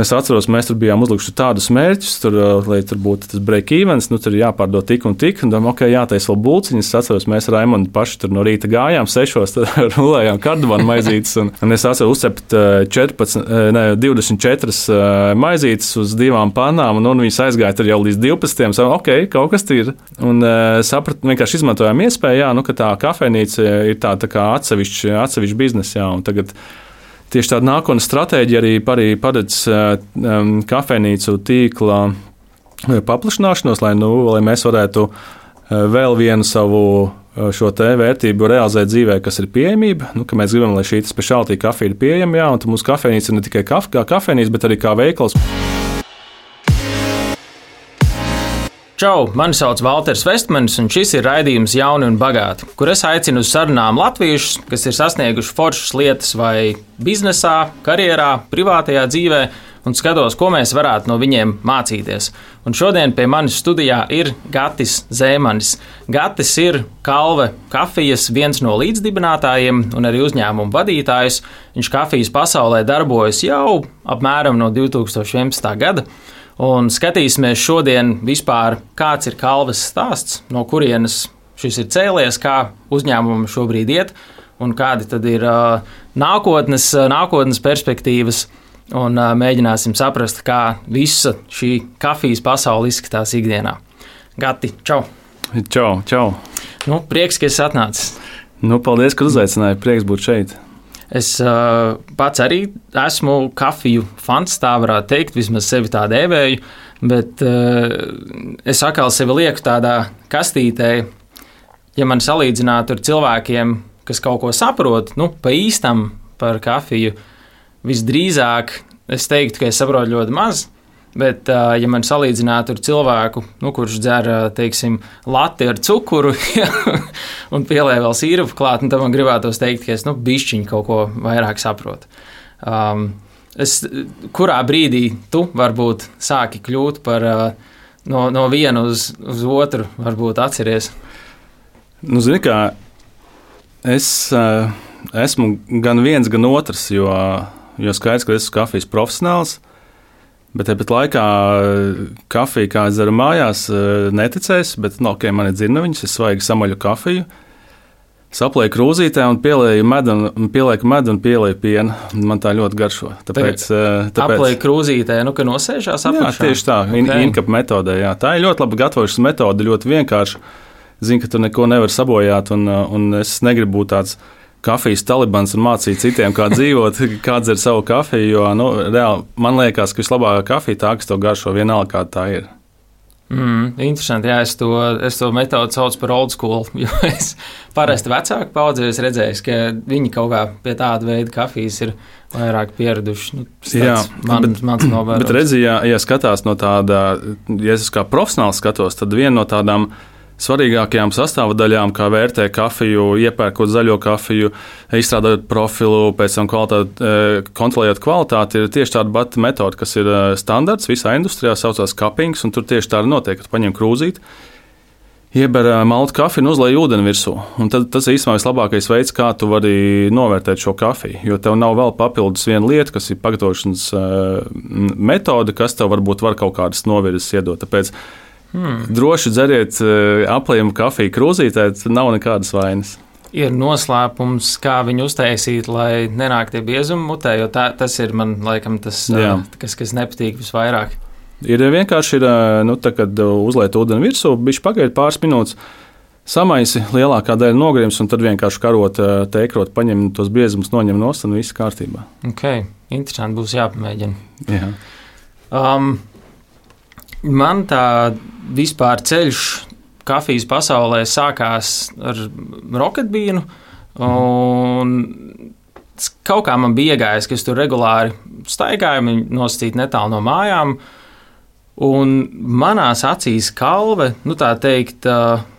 Es atceros, mēs tur bijām uzlikuši tādus mērķus, lai tur būtu tas break-evens, tur jāpārdod tik un tik, un domājam, jātaisa vēl bulciņas. Es atceros, mēs ar Raimondu paši tur no rīta gājām 6, rulējām kardamānu maizītes, un es atceros uzcept 24 maizītes uz 2 pannām, un viņas aizgāja tur jau līdz 12. Savu, kaut kas ir. Un sapratu, vienkārši izmantojām iespēju, ka tā kafejnīca ir tā kā atsevišķa biznesa, un tagad tieši tāda nākotnes stratēģija arī paredz kafejnīcu tīkla paplašināšanos, lai mēs varētu vēl vienu savu šo te vērtību realizēt dzīvē, kas ir pieejamība. Ka mēs gribam, lai šī speciāltī kafija ir pieejama, un mūsu kafejnīca ir ne tikai kā kafejnīca, bet arī kā veikals. Čau, mani sauc Valters Vestmanis, un šis ir raidījums Jauni un bagāti, kur es aicinu uz sarunām latviešus, kas ir sasnieguši foršas lietas vai biznesā, karjerā, privātajā dzīvē, un skatos, ko mēs varētu no viņiem mācīties. Un šodien pie manis studijā ir Gatis Zēmanis. Gatis ir Kalve kafijas viens no līdzdibinātājiem un arī uzņēmumu vadītājs. Viņš kafijas pasaulē darbojas jau apmēram no 2011. gada. Un skatīsimies šodien vispār, kāds ir Kalves stāsts, no kurienes šis ir cēlies, kā uzņēmumam šobrīd iet, un kādi tad ir nākotnes perspektīvas, un mēģināsim saprast, kā visa šī kafijas pasaule izskatās ikdienā. Gati, čau! Čau! Prieks, ka esi atnācis. Paldies, ka uzaicināji, prieks būt šeit. Es pats arī esmu kafiju fans, tā varētu teikt, vismaz sevi tā dēvēju, bet es atkal sevi lieku tādā kastītē, ja man salīdzinātu ar cilvēkiem, kas kaut ko saprot, pa īstam par kafiju, visdrīzāk es teiktu, ka es saprotu ļoti maz, bet, ja man salīdzinātu ar cilvēku, kurš dzer, teiksim, lati ar cukuru un pielē vēl sīrupu klāt, tad man gribētos teikt, ka es bišķiņu kaut ko vairāk saprotu. Kurā brīdī tu varbūt sāki kļūt par no viena uz otru, varbūt atceries? Zini kā, es esmu gan viens, gan otrs, jo skaidrs, ka es esmu kafijas profesionāls. Bet tāpat laikā kafija, kā es dzeru mājās, neticēs, bet man ir dzirnaviņas, es svaigi samaļu kafiju, saplēju krūzītē un pielieku medu un pielieku pienu. Man tā ļoti garšo. Tāpēc aplēju krūzītē, ka nosēžās apakšā? Jā, tieši tā, inkapa metodē. Jā. Tā ir ļoti laba gatavošanas metode, ļoti vienkārši. Zinu, ka tu neko nevar sabojāt, un es negribu būt tāds kafijas talibans un mācīt citiem, kā dzīvot, kā dzer savu kafiju, jo, reāli, man liekas, ka vislabākā kafija tā, kas tev garšo vienalga, kā tā ir. Interesanti, jā, es to metodu saucu par old school, jo es parasti vecāku paudzē redzēju, ka viņi kaut kā pie tāda veida kafijas ir vairāk pieraduši. Mans novērojums. Bet redzi, ja skatās no tāda, ja es kā profesionāls skatos, tad viena no tādām svarīgākajām sastāvdaļām, kā vērtē kafiju, iepērkot zaļo kafiju, izstrādājot profilu, pēc tam kontrolējot kvalitāti, ir tieši tāda pati metode, kas ir standarts visā industrijā, saucās cuppings, un tur tieši tā arī notiek, ka tu paņem krūzīti, ieber maltu kafiju un uzlej ūdeni virsū. Un tad tas ir īstenībā vislabākais veids, kā tu vari novērtēt šo kafiju, jo tev nav vēl papildus viena lieta, kas ir pagatavošanas metode, kas tev varbūt var kaut kādas novirzes iedot. Tāpēc droši dzeriet aplējumu kafiju krūzītē, tad nav nekādas vainas. Ir noslēpums, kā viņu uztaisīt, lai nenāk tie biezumi mutē, jo tas ir man laikam tas, kas nepatīk visvairāk. Ir vienkārši, kad uzliet ūdeni virsū, bišķi pagaid pāris minūtes, samaisi, lielākā daļa nogrims, un tad vienkārši karot, teikrot, paņem tos biezumus, noņem nost, un viss kārtībā. Interesanti, būs jāpamēģina. Jā. Man tā vispār ceļš kafijas pasaulē sākās ar roketbīnu, un kaut kā man bija iegājis, ka es tur regulāri staigāju, nosacīt netālu no mājām, un manās acīs Kalve, tā teikt,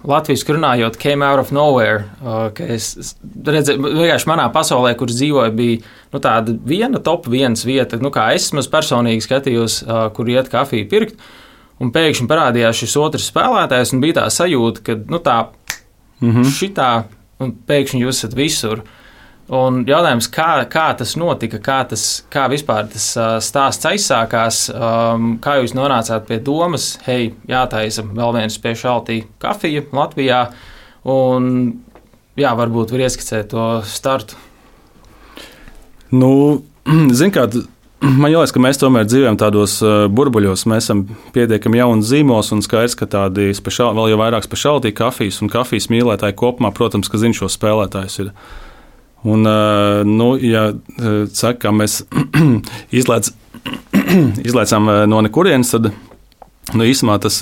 latviski runājot, came out of nowhere, ka es redzēju, vienkārši manā pasaulē, kur dzīvoju, bija tāda viena top viens vieta, kā es personīgi skatījos, kur iet kafiju pirkt, un pēkšņi parādījās šis otrs spēlētājs, un bija tā sajūta, ka šitā, un pēkšņi jūs esat visur. Un jautājums, kā tas notika, kā vispār tas stāsts aizsākās, kā jūs nonācāt pie domas, hei, jātaisa vēl viena specialty kafija Latvijā, un jā, varbūt var ieskicēt to startu. Nu, zin kā, man liekas, ka mēs tomēr dzīvojam tādos burbuļos, mēs esam pietiekami jauns zīmols un skaidrs, ka tādi vēl jau vairāk specialty kafijas un kafijas mīlētāji kopumā, protams, ka zin šo spēlētājus ir. Un, ja saka, mēs izlaicām no nekurienes, tad īsumā tas,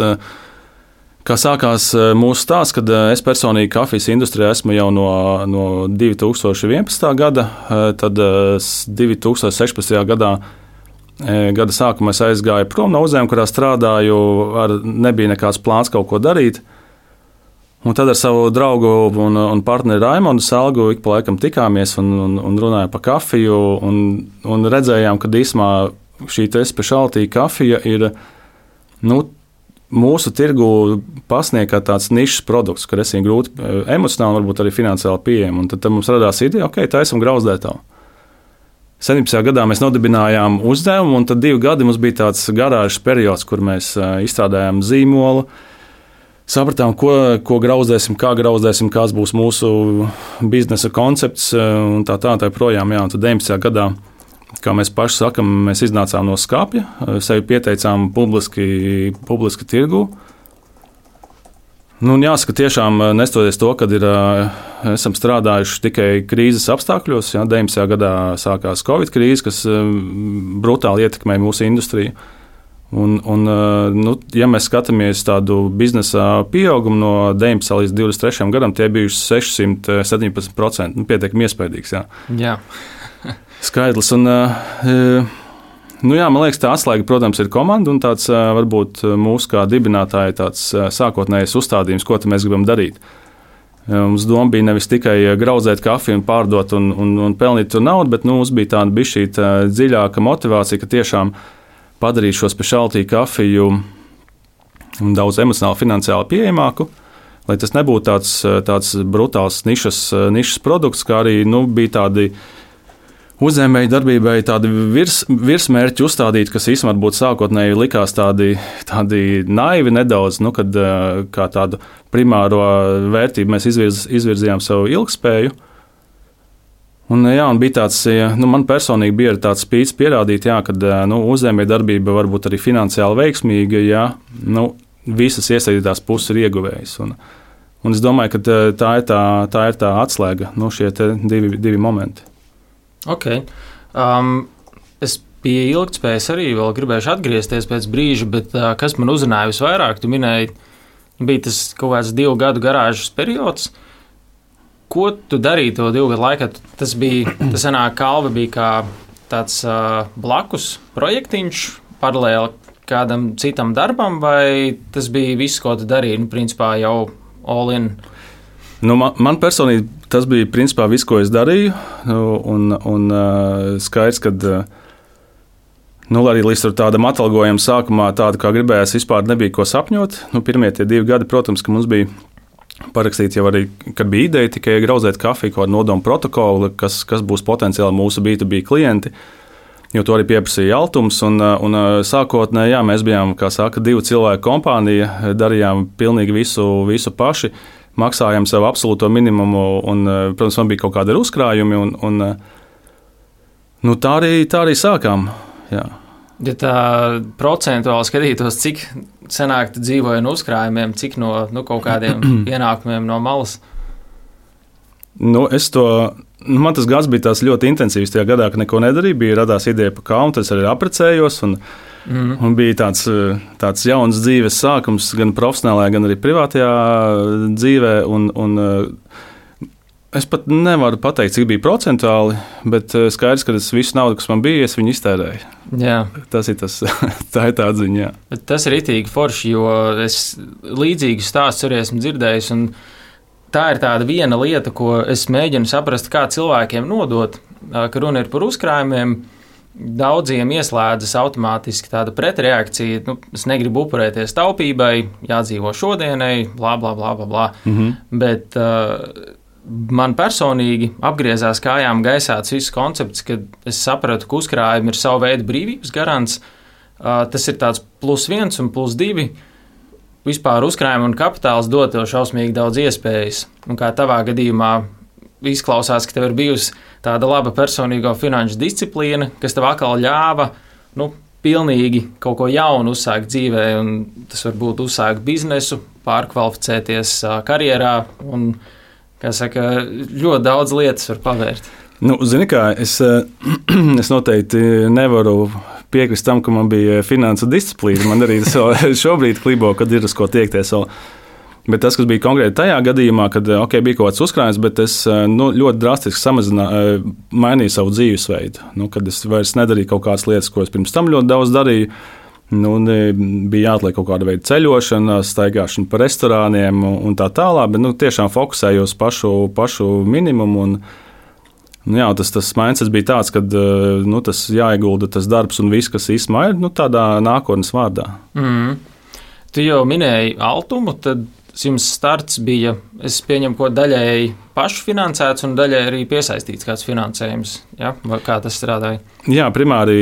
kā sākās mūsu stāsts, kad es personīgi kafijas industrijā esmu jau no 2011. gada, tad 2016. gada sākumā es aizgāju prom no uzņēmuma, kurā strādāju, nebija nekāds plāns kaut ko darīt. Un tad ar savu draugu un partneri Raimondu Salgu ik pa laikam tikāmies un runājām par kafiju un redzējām, ka īsumā šī specialty kafija ir mūsu tirgu pasniegt tāds nišas produkts, kur es viņu grūti emocionāli, varbūt arī finansiāli pieejam. Un tad mums radās ideja, taisam grauzdētavu. 17. gadā mēs nodibinājām uzņēmumu, un tad 2 gadi mums bija tāds garāžas periods, kur mēs izstrādājām zīmolu, sapratām, ko grauzdēsim, kā grauzdēsim, kāds būs mūsu biznesa koncepts un tā projām. Jā, un tad 19. gadā, kā mēs paši sakam, mēs iznācām no skapja, sevi pieteicām publiski tirgu. Un jāsaka, tiešām nestoties to, kad esam strādājuši tikai krīzes apstākļos. Jā, 19. gadā sākās Covid krīze, kas brutāli ietekmēja mūsu industriju. Ja mēs skatāmies tādu biznesa pieaugumu no 19 līdz 23 gadam, tie bijuši 617%. Pietiekami iespaidīgs. Jā. Skaidrs. Un, man liekas, tā atslēga, protams, ir komanda un tāds varbūt mūsu kā dibinātāja tāds sākotnējais uzstādījums, ko mēs gribam darīt. Mums doma bija nevis tikai graudzēt kafiju un pārdot un pelnīt tur naudu, bet mums bija tāda bišķīta dziļāka motivācija, ka tiešām padarīt šo specialty kafiju daudz emocionāli, finansiāli pieejamāku, lai tas nebūtu tāds brutāls nišas produkts, kā arī bija tādi uzņēmēju darbībai tādi virsmērķi uzstādīti, kas īstenībā būtu sākotnēji likās tādi naivi nedaudz, kad kā tādu primāro vērtību mēs izvirzījām savu ilgspēju. Un bija tāds, man personīgi bija tāds spīts pierādīt, ka uzņēmēja darbība var būt arī finansiāli veiksmīga, ja visas iesaistītās puses ir ieguvējas. Un es domāju, ka tā ir tā atslēga, šie divi momenti. Okay. Es pie ilgtspējas arī vēl gribēšu atgriezties pēc brīža, bet kas man uzrunāja visvairāk, tu minēji, bija tas kaut kāds 2 gadu garāžas periods. Ko tu darīji to 2 gadu laikā? Tas sanāk, Kalve bija kā tāds blakus projektiņš, paralēli kādam citam darbam, vai tas bija viss, ko tu darīji, principā jau all in? Man personīgi tas bija principā viss, ko es darīju, un skaidrs, ka arī līdz tādam atalgojumam sākumā tāda, kā gribējās, vispār nebija ko sapņot. Pirmie tie 2 gadi, protams, ka mums bija parakstīts jau arī, kad bija ideja tikai graudzēt kafiju, kaut kādu nodomu protokolu, kas būs potenciāli mūsu B2B klienti, jo to arī pieprasīja Altums. Un sākotnēji, mēs bijām, kā saka, 2 cilvēku kompānija, darījām pilnīgi visu paši, maksājām savu absolūto minimumu, un, protams, man bija kaut kādi uzkrājumi, un tā arī sākām. Jā. Ja tā procentuāli skatītos, cik senāk tu dzīvoji no uzkrājumiem, cik no kaut kādiem ienākumiem no malas? Man tas gads bija ļoti intensīvs tajā gadā, ka neko nedarīju, radās ideja par kaunu, tad es arī apprecējos, un bija tāds jauns dzīves sākums gan profesionālajā, gan arī privātajā dzīvē, un es pat nevaru pateikt, cik bija procentuāli, bet skaidrs, ka visu naudu, kas man bija, es viņu iztērēju. Jā. Tā ir tā atziņa. Jā. Bet tas ir ritīgi forši, jo es līdzīgu stāstu arī esmu dzirdējis, un tā ir tāda viena lieta, ko es mēģinu saprast, kā cilvēkiem nodot, ka runa ir par uzkrājumiem. Daudziem ieslēdzas automātiski tāda pretreakcija, es negribu upurēties taupībai, jādzīvo šodienai, blā, blā, blā, blā, blā. Bet man personīgi apgriezās kājām gaisā tas viss koncepts, kad es sapratu, ka uzkrājumi ir savu veidu brīvības garants. Tas ir tāds +1 un +2. Vispār uzkrājumi un kapitāls dod tev šausmīgi daudz iespējas. Un kā tavā gadījumā izklausās, ka tev ir bijusi tāda laba personīgo finanšu disciplīna, kas tev atkal ļāva, pilnīgi kaut ko jaunu uzsākt dzīvē, un tas var būt uzsākt biznesu, pārkvalificēties karjerā, un, kā saka, ļoti daudz lietas var pavērt. Zini kā, es noteikti nevaru piekrist tam, ka man bija finansu disciplīna. Man arī šobrīd klibo, kad ir uz ko tiekties vēl. Bet tas, kas bija konkrēti tajā gadījumā, kad bija kaut kāds uzkrājums, bet es ļoti drastiski mainīju savu dzīvesveidu. Kad es vairs nedarīju kaut kādas lietas, ko es pirms tam ļoti daudz darīju. Bija jāatliek kaut kāda veida ceļošana, staigāšana pa restorāniem un tā tālāk, bet tiešām fokusējos pašu minimumu. Tas mindset bija tāds, ka tas jāiegulda tas darbs un viss, kas īstenībā ir tādā nākotnes vārdā. Tu jau minēji Altumu, tad jums starts bija, es pieņemu, ko daļēji pašfinansēts un daļēji arī piesaistīts kāds finansējums. Ja? Vai kā tas strādāja? Jā, primāri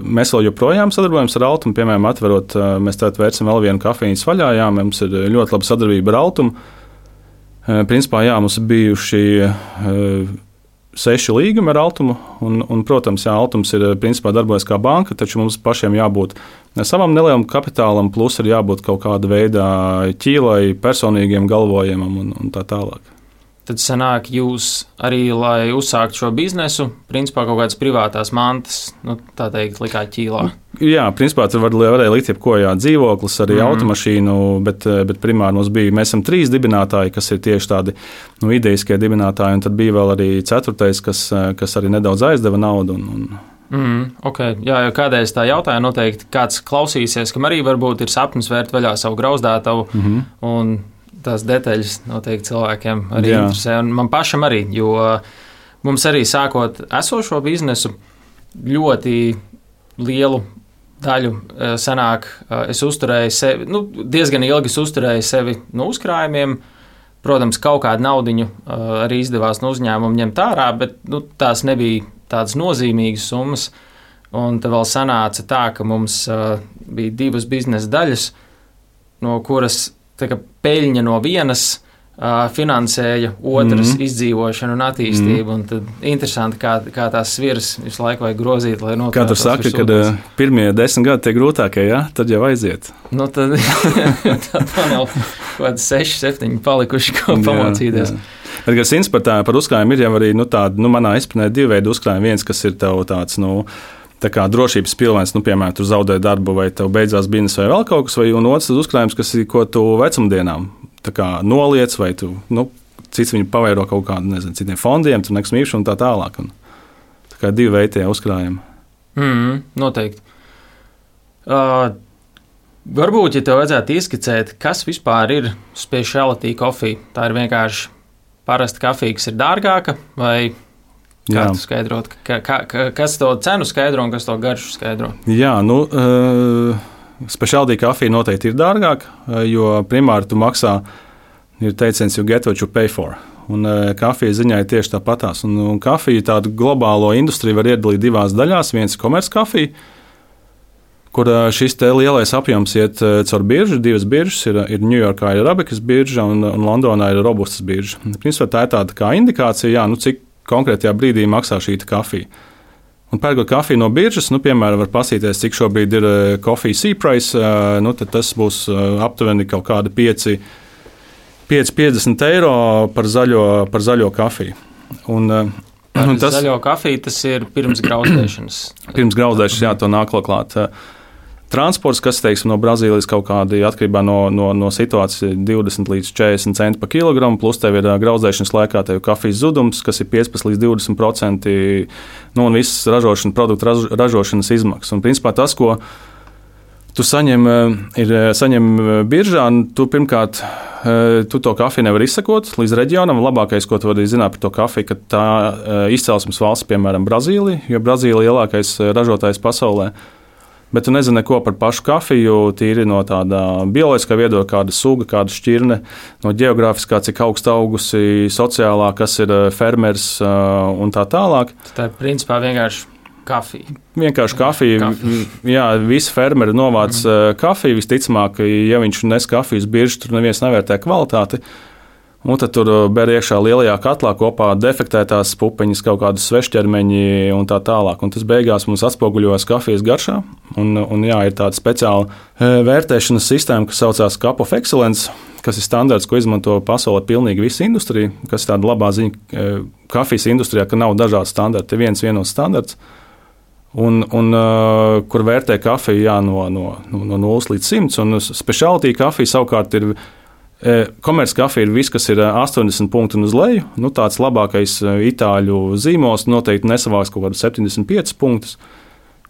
mēs vēl joprojām sadarbojamies ar Altumu. Piemēram, atverot, mēs tagad vērsim vēl vienu kafejnīcu vaļā. Jā, mums ir ļoti laba sadarbība ar Altumu. Principā, jā, mums ir bijuši 6 līgumi ar Altumu, un protams, jā, Altums ir principā darbojas kā banka, taču mums pašiem jābūt savam nelielam kapitālam, plus ir jābūt kaut kāda veida ķīlai, personīgiem galvojumam un tā tālāk. Tad sanāk jūs arī, lai uzsākt šo biznesu, principā kaut kādas privātās mantas, tā teikt, likāt ķīlā. Jā, principā tur varēja likt jebko, dzīvoklis, arī automašīnu, bet primāri mēs esam 3 dibinātāji, kas ir tieši tādi ideiskie dibinātāji, un tad bija vēl arī 4, kas arī nedaudz aizdeva naudu. Okay. Jā, jo kādreiz tā jautāja, noteikti kāds klausīsies, kam arī varbūt ir sapnis vērt vaļā savu grauzdātavu, un tās detaļas noteikti cilvēkiem arī interesē, un man pašam arī, jo mums arī sākot esošo biznesu ļoti lielu daļu sanāk, es uzturēju sevi, diezgan ilgi uzturēju sevi no uzkrājumiem. Protams, kaut kādu naudiņu arī izdevās no uzņēmuma ņemt ārā, bet tās nebija tādas nozīmīgas summas, un tad vēl sanāca tā, ka mums bija 2 biznesa daļas, no kuras peļņa no vienas finansēja otras izdzīvošanu un attīstību. Un tad interesanti, kā tās sviras visu laiku vajag grozīt, lai noturētu. Kā tur saka, kad pirmie 10 gadi tie grūtākie, tad jau aiziet. Tad man jau kaut kādi 6, 7 palikuši, ko pamācīties. Bet, kas interesanti par uzkrājumu, ir jau arī manā izpratnē 2 veidi uzkrājumi. Viens, kas ir tev tāds, tā kā drošības pilvens, piemēram, tu zaudēji darbu, vai tev beidzās biznesa, vai vēl kaut kas, un otrs uzkrājums, kas ir, ko tu vecumdienām noliec, vai tu, cits viņu pavēro kaut kādu, citiem fondiem, tu nekas mīkšu un tā tālāk. Tā kā 2 veidi tie uzkrājumi. Noteikti. Varbūt, ja tev vajadzētu ieskicēt, kas vispār ir specialty coffee, tā ir vienkārši parasta kafija, kas ir dārgāka, vai kā tu skaidrot, kas to cenu skaidro un kas to garšu skaidro? Jā, specialty kafija noteikti ir dārgāka, jo primāri tu maksā, ir teiciens, you get what you pay for. Un kafija ziņā ir tieši tāpatās. Un kafiju tādu globālo industriju var iedalīt 2 daļās. Viens ir komerckafija, kur šis lielais apjoms iet caur biržu. 2 biržas ir Ņujorkā ir Arabikas birža un Londonā ir Robustas birža. Principā tā ir tāda kā indikācija, cik konkrētajā brīdī maksā šī kafija. Un pērkot kafiju no biržas, piemēram, var pasīties, cik šobrīd ir kafija C-price, tad tas būs aptuveni kaut kādi 5,50 eiro par zaļo kafiju. Zaļo kafiju tas ir pirms grauzdēšanas. Pirms grauzdēšanas, jā, to nāk klāt. Transports, kas no Brazīlijas kaut kādi atkarībā no situācijas 20 līdz 40 centi par kilogramu, plus tev ir grauzdēšanas laikā tev kafijas zudums, kas ir 15 līdz 20%, un visas produktu ražošanas izmaksas. Un principā tas, ko tu saņem biržā, tu pirmkārt tu to kafiju nevar izsekot līdz reģionam. Labākais, ko tu vari zināt par to kafiju, ka tā izcelsmes valsts, piemēram, Brazīlija, jo Brazīlija ir lielākais ražotājs pasaulē. Bet tu nezini neko par pašu kafiju, tīri no tāda bioloģiskā viedokļa, kāda suga, kāda šķirne, no geogrāfiskā, cik augstu augusi, sociālā, kas ir fermers un tā tālāk. Tā ir principā vienkārši kafija. Vienkārši kafija. Jā, visi fermeri novāc kafiju. Visticamāk, ja viņš nes kafijas biržu, tur neviens nevērtē kvalitāti. Un tad tur ber iekšā lielajā katlā kopā defektētās pupiņas, kaut kādas svešķermeņi un tā tālāk. Un tas beigās mums atspoguļojas kafijas garšā. Un jā, ir tāda speciāla vērtēšanas sistēma, kas saucās Cup of Excellence, kas ir standarts, ko izmanto pasaulē pilnīgi visa industrija, kas ir tāda labā ziņa kafijas industrijā, ka nav dažādi standarti, ir viens vienots standarts. Un kur vērtē kafiju jā, no 0 līdz 100, un specialty kafija savukārt ir komerckafija ir viss, kas ir 80 punkti un uz leju. Nu, tāds labākais itāļu zīmols noteikti nesavāks kaut kādus 75 punktus.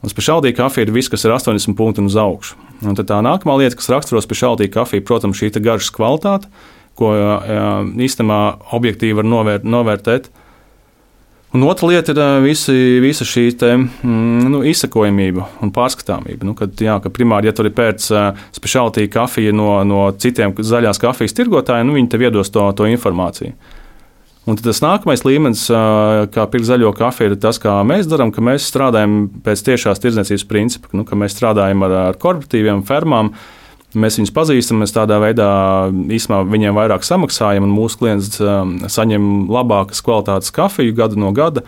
Un specialty kafija ir viss, kas ir 80 punkti un uz augšu. Un tad tā nākamā lieta, kas raksturo specialty kafiju, protams, šī garšas kvalitāte, ko īstenībā objektīvi var novērtēt. Un otra lieta ir visa šī izsekojamība un pārskatāmība. Kad primāri, ja tur ir pēc specialty kafija no citiem zaļās kafijas tirgotājiem, viņi tev iedos to informāciju. Un tas nākamais līmenis, kā pirkt zaļo kafiju, ir tas, kā mēs darām, ka mēs strādājam pēc tiešās tirdzniecības principa, ka mēs strādājam ar korporatīviem fermām. Mēs viņus pazīstam, mēs tādā veidā īstenībā viņiem vairāk samaksājam, un mūsu klients saņem labākas kvalitātes kafiju gadu no gada.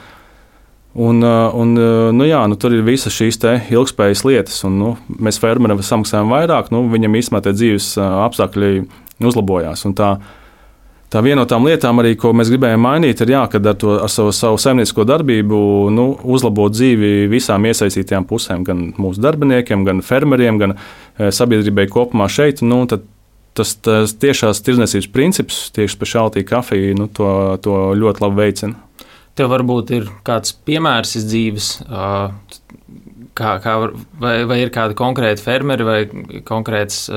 Tur ir visas šīs ilgspējas lietas, un mēs fermerim samaksājam vairāk, viņam īstenībā tie dzīves apstākļi uzlabojās. Un tā viena no tām lietām, arī, ko mēs gribējām mainīt, ir, kad ar savu saimniecisko darbību uzlabot dzīvi visām iesaistītajām pusēm, gan mūsu darbiniekiem, gan fermeriem, gan sabiedrībai kopumā šeit. Tas tiešās tirdzniecības princips, tieši specialty kafija, to ļoti labi veicina. Tev varbūt ir kāds piemērs iz dzīves, vai ir kādi konkrēti fermeri vai konkrētas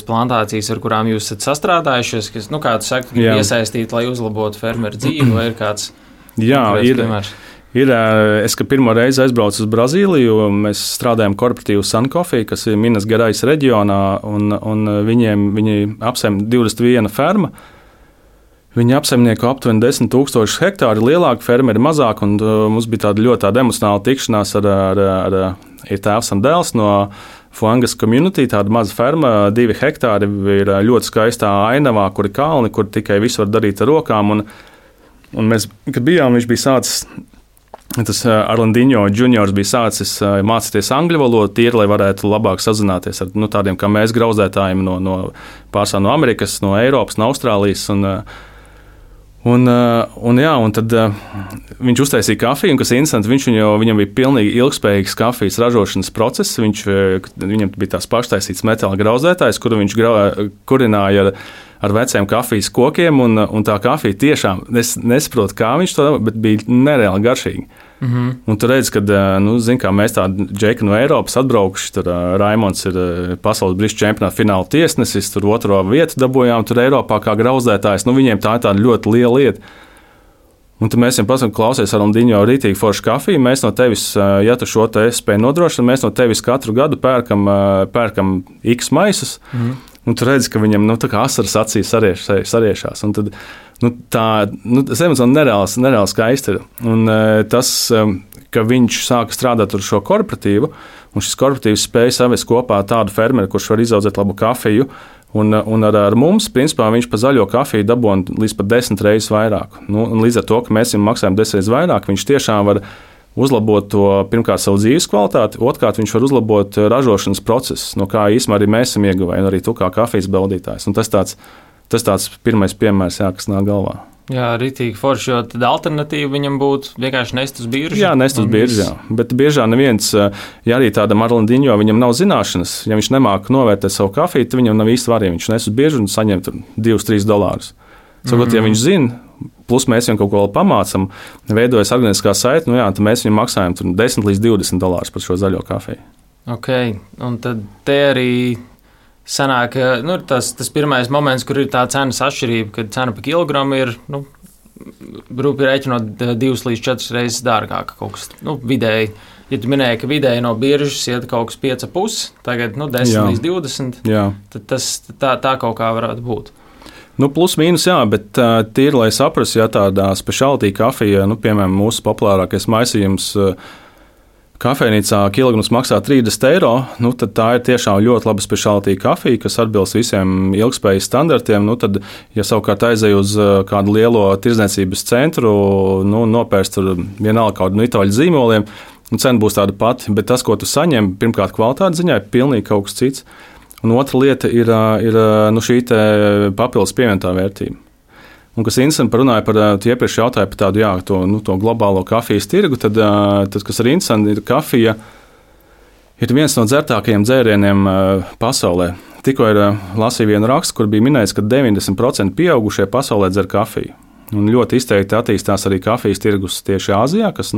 plantācijas, ar kurām jūs esat sastrādājušies, kas, kā tu saki, ir iesaistīti, lai uzlabotu fermeru dzīvi, vai ir kāds piemērs? Es, kad pirmo reizi aizbraucu uz Brazīliju, mēs strādājam korporatīvu Sun Coffee, kas ir Minas Gerais reģionā, un viņi apsaim 21 ferma. Viņi apsaimnieko aptuveni 10,000 hektāru, lielāki fermeri mazāk, un mums bija tāda ļoti emocionāla tikšanās ar tēvs un dēls no Fuangas community, tāda maza ferma, 2 hektāri, ir ļoti skaistā ainavā, kur ir kalni, kur tikai visu var darīt ar rokām, un mēs, kad bijām, viņš bija sācis, tas Arlandinho juniors bija sācis mācīties angļu valodu, tīri, lai varētu labāk sazināties ar tādiem kā mēs grauzētājiem pārsvarā no Amerikas, no Eiropas, no Austrālijas, un tad viņš uztaisīja kafiju, un kas ir interesanti, viņam bija pilnīgi ilgspējīgs kafijas ražošanas process. Viņam bija tās paštaisītas metāla grauzētājs, kuru viņš kurināja ar veciem kafijas kokiem, un tā kafija tiešām, es nesaprotu, kā viņš to dara, bet bija nereāli garšīgi. Un tu redzi, ka mēs tādi džeki no Eiropas atbraukuši, tur Raimonds ir pasaules brīžu čempionāta fināla tiesnesis, tur 2. vietu dabūjām tur Eiropā kā grauzētājs. Viņiem tā ir tāda ļoti liela lieta. Un tad mēs viņam pasakām, klausies, Arlandinho, rītīgi forša kafija, mēs no tevis, ja tu šo te spēj nodrošināt, mēs no tevis katru gadu pērkam X maisus, un tu redzi, ka viņam tā kā asaras acīs sariešās. Un tad tas emociāli nereāli skaisti ir. Un tas, ka viņš sāka strādāt ar šo korporatīvu, un šis korporatīvs spēja savest kopā tādu fermeri, kurš var izaudzēt labu kafiju, un ar mums, principā, viņš pa zaļo kafiju dabūna līdz pat 10 reizes vairāk. Un līdz ar to, ka mēs viņam maksājam 10 reizes vairāk, viņš tiešām var uzlabot to, pirmkārt, savu dzīves kvalitāti, otrkārt, viņš var uzlabot ražošanas procesu, no kā īstenībā arī mēs esam ieguvēji, un arī tu kā kafijas baudītājs. Un tas tāds pirmais piemērs, kas nāk galvā. Jā, ritīgi forši, jo tad alternatīva viņam būtu vienkārši nest uz biržu. Jā, nest uz biržu, jā. Bet biežā neviens, ja arī tādam Arlandinho, viņam nav zināšanas, ja viņš nemāka novērtēt savu kafiju, tad viņam nav īsti varīgi. Viņš nes uz biržu un saņem $2-3. Savukārt, ja viņš zina, plus mēs viņam kaut ko pamācam, veidojas organiskā saite, tad mēs viņam maksājam $10-20 par šo zaļo kafiju. Ok, un tad te arī sanāk, tas pirmais moments, kur ir tā cenas atšķirība, kad cena par kilogramu ir, rūpīgi rēķinot 2 līdz 4 reizes dārgāka kaut kas, vidēji Ja tu minēji, ka vidēji no biržas iet kaut kas 5,5, tagad 10 līdz 20, tad tā kaut kā varētu būt. Plus mīnus, jā, bet tīri, lai saprastu, ja tādā specialty kafija, piemēram, mūsu populārākais maisījums kafejnīcā kilograms maksā 30 eiro, tad tā ir tiešām ļoti laba specialty kafija, kas atbilst visiem ilgspējas standartiem. Tad, ja savukārt aizej uz kādu lielo tirdzniecības centru, nopērst tur vienalga kādu itāļu zīmoliem, cena būs tāda pati, bet tas, ko tu saņem, pirmkārt kvalitātes ziņā, ir pilnīgi kaut kas cits. Un otra lieta ir šī papildus pievienotā vērtība. Un kas interesanti, runāja par, tu iepriekš jautāji par tādu, to globālo kafijas tirgu, tad kas ir interesanti, ir kafija ir viens no dzertākajiem dzērieniem pasaulē. Tikko lasīju vienu rakstu, kur bija minēts, ka 90% pieaugušie pasaulē dzer kafiju. Un ļoti izteikti attīstās arī kafijas tirgus tieši Āzijā, kas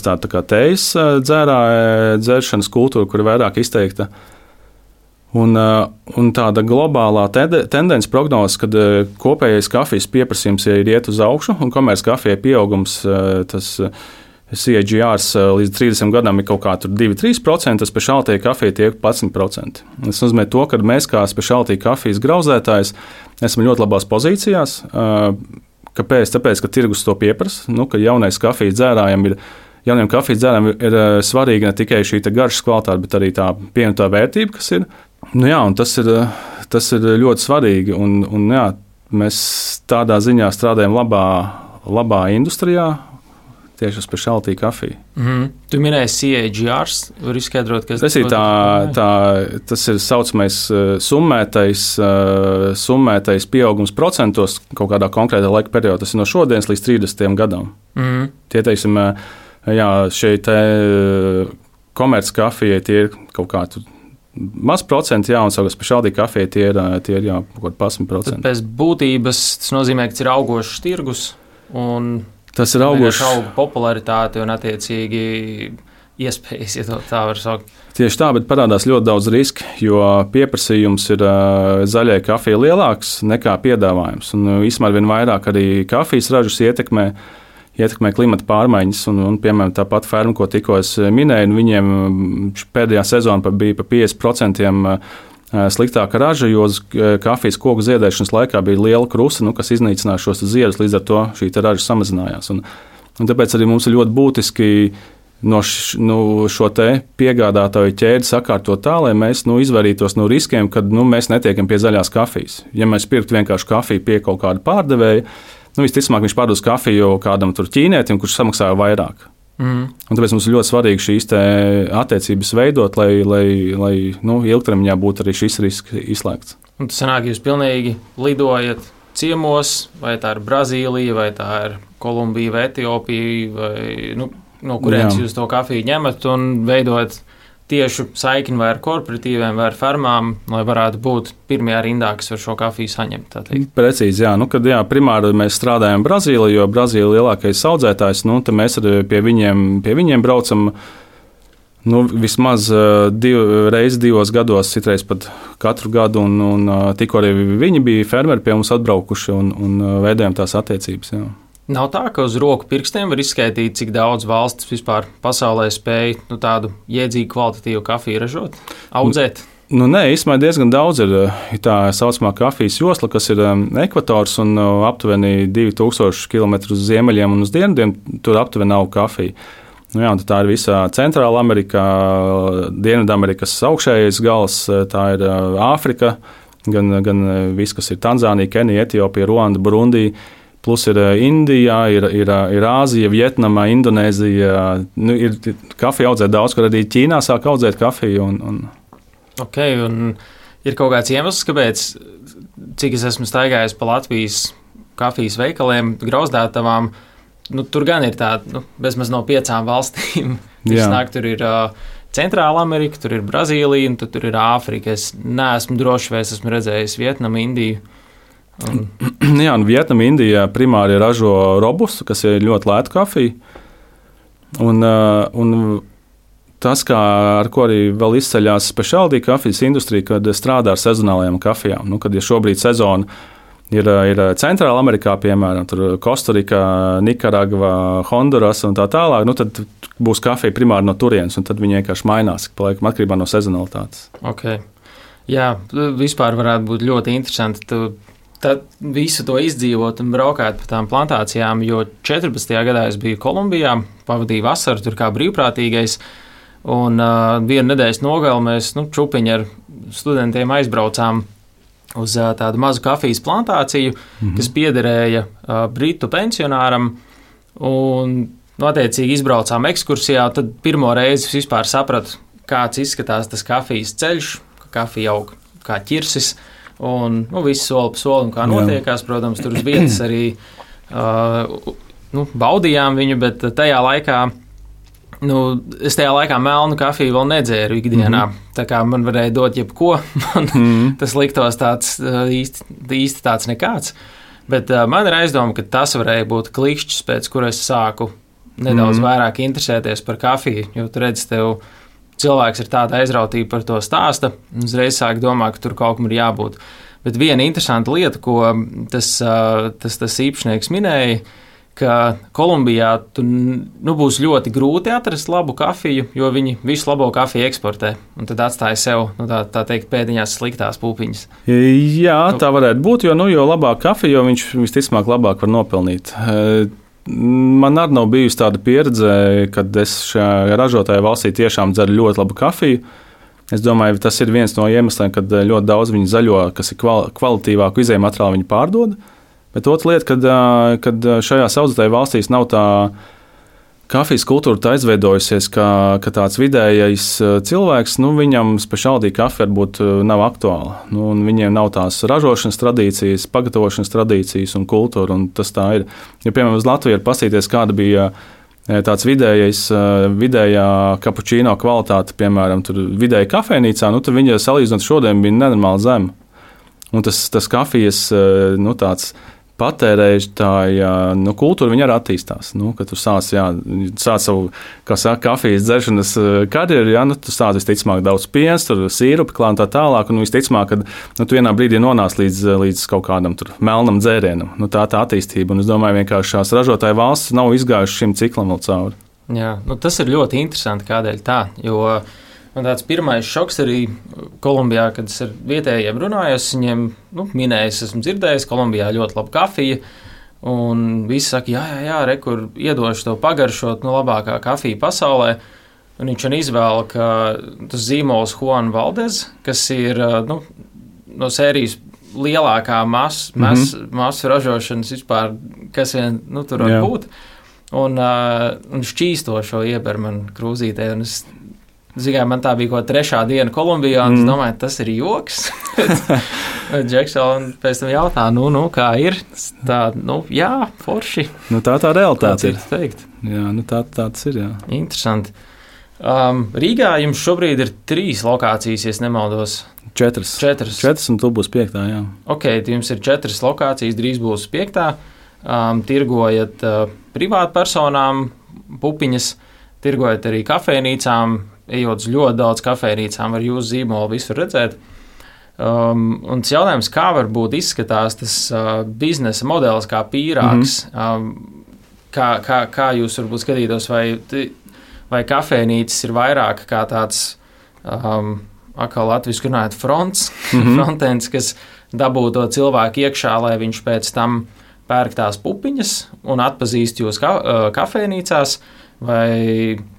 tā kā tejas dzeršanas kultūra, kur ir vairāk izteikta. Un tāda globālā tendence prognoze, kad kopējais kafijas pieprasījums ir iet uz augšu, un komerc kafijai pieaugums, tas CAGR līdz 30 gadam ir kaut kā 2-3%, tas specialty kafija tiek 11%. Tas nozīmē to, ka mēs kā specialty kafijas grauzētājs esam ļoti labās pozīcijās. Kāpēc? Tāpēc, ka tirgus to pieprasa, ka jauniem kafijas dzērājiem ir svarīga ne tikai šī garšas kvalitāte, bet arī tā pievienotā vērtība, kas ir. Un tas ir ļoti svarīgi. Un, mēs tādā ziņā strādājam labā industrijā, tieši uz specialty kafiju. Tu minēji CAGR, var izskaidrot, kas tas ir. Tas ir saucamais summētais pieaugums procentos kaut kādā konkrētā laika periodā. Tas ir no šodienas līdz 30 gadam. Tie, teiksim, šeit komerc kafijai tie ir kaut kādi maz procenti, un savukārt specialty kafijai tie ir kaut kādi 11%. Tad pēc būtības tas nozīmē, ka ir augošs tirgus un tas ir augošs popularitāte un attiecīgi iespējas, ja tā var saukt. Tieši tā, bet parādās ļoti daudz riski, jo pieprasījums ir zaļai kafijai lielāks nekā piedāvājums. Un īstenībā vien vairāk arī kafijas ražas ietekmē klimata pārmaiņas, un piemēram, tāpat ferma, ko tikko es minēju, viņiem pēdējā sezona bija pa 50% sliktāka raža, jo kafijas koku ziedēšanas laikā bija liela krusta, kas iznīcināja šos ziedus, līdz ar to šī raža samazinājās. Un tāpēc arī mums ir ļoti būtiski šo te piegādātāju ķēdi sakārtot tā, lai mēs izvairītos no riskiem, kad mēs netiekam pie zaļās kafijas. Ja mēs pirktu vienkārši kafiju pie kaut kāda pārdevēja, visticamāk, viņš pārdos kafiju kādam ķīnietim, kurš samaksāja vairāk. Un tāpēc mums ir ļoti svarīgi šīs attiecības veidot, lai ilgtermiņā būtu arī šis risks izslēgts. Un tas sanāk, jūs pilnīgi lidojat ciemos, vai tā ir Brazīlija, vai tā ir Kolumbija, vai Etiopija, vai no kurienes jūs to kafiju ņemat un veidojat tieši saikni vai ar korporatīviem, vai ar fermām, lai varētu būt pirmajā rindā, kas var šo kafiju saņemt. Precīzi, kad primāri mēs strādājam Brazīlijā, jo Brazīlija ir lielākais audzētājs, tad mēs pie viņiem braucam vismaz reizes 2 gados, citreiz pat katru gadu, un tikko arī viņi bija fermeri pie mums atbraukuši un veidojam tās attiecības. Jā. Nav tā, ka uz roku pirkstiem var izskaidrot, cik daudz valsts vispār pasaulē spēj tādu jēdzīgu, kvalitatīvu kafiju ražot, audzēt? Nē, īstenībā diezgan daudz ir tā saucamā kafijas josla, kas ir ekvators un aptuveni 2000 km uz ziemeļiem un uz dienvidiem. Tur aptuveni nav kafija. Tā ir visā Centrāla Amerikā, Dienvidamerikas augšējais gals, tā ir Āfrika, gan viss, kas ir Tanzānija, Kenija, Etiopija, Ruanda, Burundija. Plus ir Indija, ir Āzija, Vietnama, Indonēzija. Ir kafija audzēt daudz, kur arī Ķīnā sāk audzēt kafiju. Ok, un ir kaut kāds iemesls, kāpēc, cik es esmu staigājis pa Latvijas kafijas veikaliem, grauzdētavām, tur gan ir tāda, bezmaz no 5 valstīm. Tur ir Centrāla Amerika, tur ir Brazīlija, un tur ir Āfrika. Es neesmu droši, vai es esmu redzējis Vietnamu, Indiju. Vietnama, Indija primāri ražo robustu, kas ir ļoti lēta kafija. Un tas, ar ko arī vēl izceļās specialty kafijas industrija, kad strādā ar sezonālajām kafijām. Kad ir šobrīd sezona, Ir Centrāla Amerikā, piemēram, Kostarika, Nikaragva, Honduras un tā tālāk. Tad būs kafija primāri no turienes, un tad viņi vienkārši mainās atkarībā no sezonalitātes. Okay. Jā, vispār varētu būt ļoti interesanti. Tad visu to izdzīvot un braukāt pa tām plantācijām, jo 14. gadā es biju Kolumbijā, pavadīju vasaru tur kā brīvprātīgais, un vienu nedēļas nogali mēs čupiņi ar studentiem aizbraucām uz tādu mazu kafijas plantāciju, kas piederēja britu pensionāram, un attiecīgi izbraucām ekskursijā, tad pirmo reizi vispār sapratu, kāds izskatās tas kafijas ceļš, ka kafija aug kā ķirsis, un viss soli pa solim, kā notiekās. Protams, tur uz vietas arī baudījām viņu, bet tajā laikā es tajā laikā melnu kafiju vēl nedzēru ikdienā. Tā kā man varēja dot jebko, tas liktos tāds īsti tāds nekāds. Bet man ir aizdoma, ka tas varēja būt klikšķis, pēc kura es sāku nedaudz vairāk interesēties par kafiju, jo tu redzi, tev cilvēks ir tāda aizrautība par to stāsta, un uzreiz sāk domāt, ka tur kaut kam ir jābūt. Bet viena interesanta lieta, ko tas īpašnieks minēja, ka Kolumbijā būs ļoti grūti atrast labu kafiju, jo viņi visu labo kafiju eksportē, un tad atstāja sev, tā teikt, pēdiņās sliktās pupiņas. Jā, tā varētu būt, jo labāk kafiju, jo viņš visticamāk labāk var nopelnīt. Man arī nav bijusi tāda pieredze, kad es šajā ražotāja valstī tiešām dzeru ļoti labu kafiju. Es domāju, tas ir viens no iemesliem, kad ļoti daudz viņu zaļo, kas ir kvalitīvāku izēju materiālu, viņi pārdod. Bet otra lieta, kad šajās audzētāju valstīs nav tā kafijas kultūra tā izveidojusies, ka tāds vidējais cilvēks, viņam speciāltī kafija varbūt nav aktuāla. Un viņiem nav tās ražošanas tradīcijas, pagatavošanas tradīcijas un kultūra, un tas tā ir. Ja, piemēram, uz Latviju ir paskatīties, kāda bija tāds vidējā kapučīno kvalitāte, piemēram, tur vidēji kafejnīcā, tad viņa salīdzinot šodien bija nenormāli zema. Un tas kafijas, tāds patērētāja kultūra, viņa arī attīstās. Kad tu sāc savu, kā saka, kafijas dzeršanas karjeru, tu sāc visticamāk daudz piens, tur sīrupi klāt un tā tālāk, un visticamāk, ka tu vienā brīdī nonāc līdz kaut kādam tur melnam dzērienam. Tā attīstība, un es domāju, vienkārši šās ražotāju valsts nav izgājušas šim ciklam vēl cauri. Jā, tas ir ļoti interesanti, kādēļ tā, jo man tāds pirmais šoks arī Kolumbijā, kad es ar vietējiem runājos, viņiem minējis, esmu dzirdējis, Kolumbijā ļoti laba kafija, un visi saka, jā, kur iedošu tev pagaršot, labākā kafija pasaulē, un viņš izvēla, ka tas zīmols Juan Valdez, kas ir no sērijas lielākā masu ražošanas vispār, kas vien tur var būt, un šķīsto šo iebermanu krūzītē, un man tā bija kaut trešā diena Kolumbijā, un es domāju, tas ir joks. Džeksona pēc tam jautā, kā ir? Tā, jā, forši. Tā realitāte ir. Teikt. Jā, tā tas ir, jā. Interesanti. Rīgā jums šobrīd ir 3 lokācijas, ja nemaldos. 4, un tu būs 5, jā. Ok, jums ir 4 lokācijas, drīz būs 5. Tirgojat privātpersonām pupiņas, tirgojat arī kafejnīcām, ejot uz ļoti daudz kafejnīcām, var jūsu zīmolu visur redzēt. Un tas jautājums, kā varbūt izskatās tas biznesa modelis kā pīrāgs, kā jūs varbūt skatītos, vai kafejnīcas ir vairāk kā tāds, atkal latviski runājot, frontends, kas dabū to cilvēku iekšā, lai viņš pēc tam pērk tās pupiņas un atpazīst jūs kafejnīcās, vai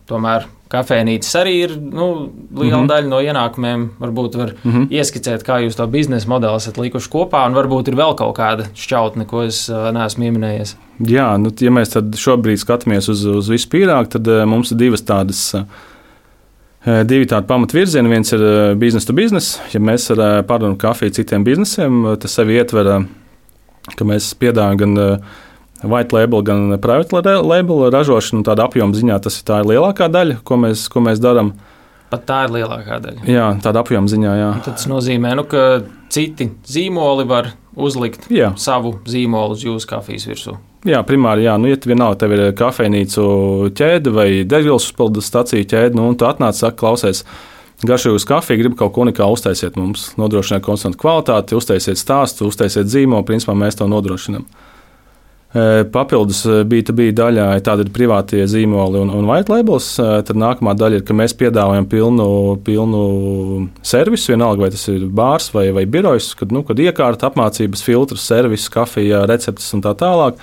tomēr kafejnīcas arī ir liela daļa no ienākumiem. Varbūt var ieskicēt, kā jūs to biznesa modeli esat likuši kopā, un varbūt ir vēl kaut kāda šķautne, ko es neesmu pieminējies. Jā, ja mēs tad šobrīd skatāmies uz visu pīrāgu, tad mums ir divi tādi pamatvirzieni. Viens ir business to business. Ja mēs pārdodam kafiju citiem biznesiem, tas sevi ietver, ka mēs piedāvājam gan white label, gan private label ražošanu, tāda apjoma ziņā tā ir lielākā daļa, ko mēs darām. Pat tā ir lielākā daļa. Jā, tāda apjoma ziņā, jā. Un tad tas nozīmē, ka citi zīmoli var uzlikt savu zīmolu uz jūsu kafijas virsū. Jā, primāri, jā. Ja vienalga tev ir kafejnīcu ķēde vai degvielas uzpildes staciju ķēde, un tu atnāc, saka, klausies, garšīgus kafiju, grib kaut ko unikālu uztaisiet mums, nodrošināt konstantu kvalitāti, uztaisiet stāstu, uztaisiet zīmolu, principā mēs to nodrošinām. Papildus B2B daļā tāda ir privātie zīmoli un white labels. Tad nākamā daļa ir, ka mēs piedāvājam pilnu servisu, vienalga vai tas ir bārs vai birojs, kad iekārta, apmācības, filtrs, servis, kafija, receptes un tā tālāk.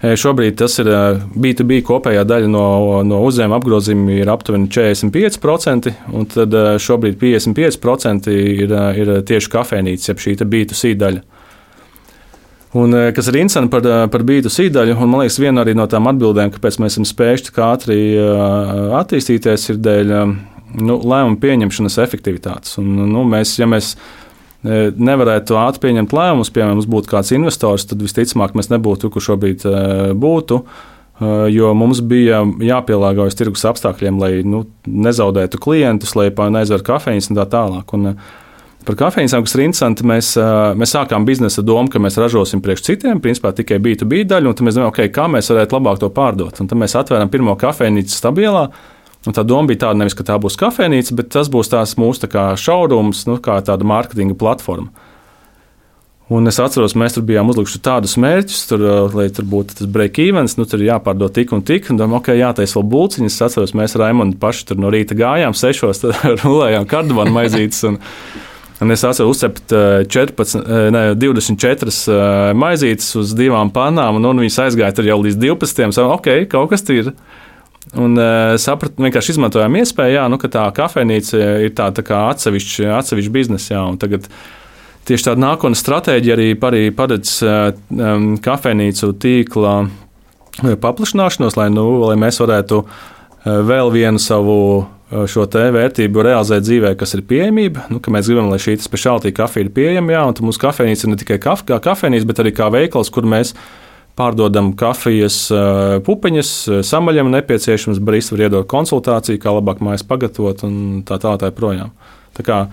Šobrīd tas ir B2B kopējā daļa no uzņēmuma apgrozījuma ir aptuveni 45%, un tad šobrīd 55% ir tieši kafejnīcas, jeb šī B2C daļa. Un, kas ir interesanti par B2C daļu, un man liekas, viena arī no tām atbildēm, kāpēc mēs esam spējuši tik ātri attīstīties, ir dēļ lēmumu pieņemšanas efektivitātes. Un, ja mēs nevarētu ātri pieņemt lēmumus, piemēram, mums būtu kāds investors, tad visticamāk mēs nebūtu, kur šobrīd būtu, jo mums bija jāpielāgojas tirgus apstākļiem, lai nezaudētu klientus, lai neaizver kafejnīcas un tā tālāk. Un, par kafejnīcām, kas ir interesanti, mēs sākām biznesa domu, ka mēs ražosim priekš citiem, principā tikai B2B daļu, un tad mēs domājam, kā mēs varētu labāk to pārdot. Un tad mēs atvērām pirmo kafejnīcu Stabielā, un tā doma bija tāda, nevis, ka tā būs kafejnīca, bet tas būs tās mūsu showrooms, kā tāda mārketinga platforma. Un es atceros, mēs tur bijām uzlikuši tādus mērķus, lai tur būtu tas break-evens, tur jāpārdod tik un tik, un domājam, jātaisa vēl bulciņas. Es atceros, mēs ar Raimondu paši tur no rīta gājām 6, tad rulējām kardamānu maizītes, un es atceros uzcept 24 maizītes uz 2 pannām, un viņas aizgāja tur jau līdz 12. Kaut kas ir. Un sapratu, vienkārši izmantojām iespēju, ka tā kafejnīca ir tā kā atsevišķa biznesa. Un tagad tieši tāda nākotnes stratēģija arī paredz kafejnīcu tīkla paplašināšanos, lai mēs varētu vēl vienu savu šo te vērtību realizēt dzīvē, kas ir pieejamība. Ka mēs gribam, lai šī speciālitāte kafija ir pieejama, un mūsu kafejnīca ir ne tikai kā kafejnīca, bet arī kā veikals, kur mēs pārdodam kafijas pupiņas, samaļam nepieciešams, barista var iedot konsultāciju, kā labāk mājas pagatavot un tā projām. Tā kā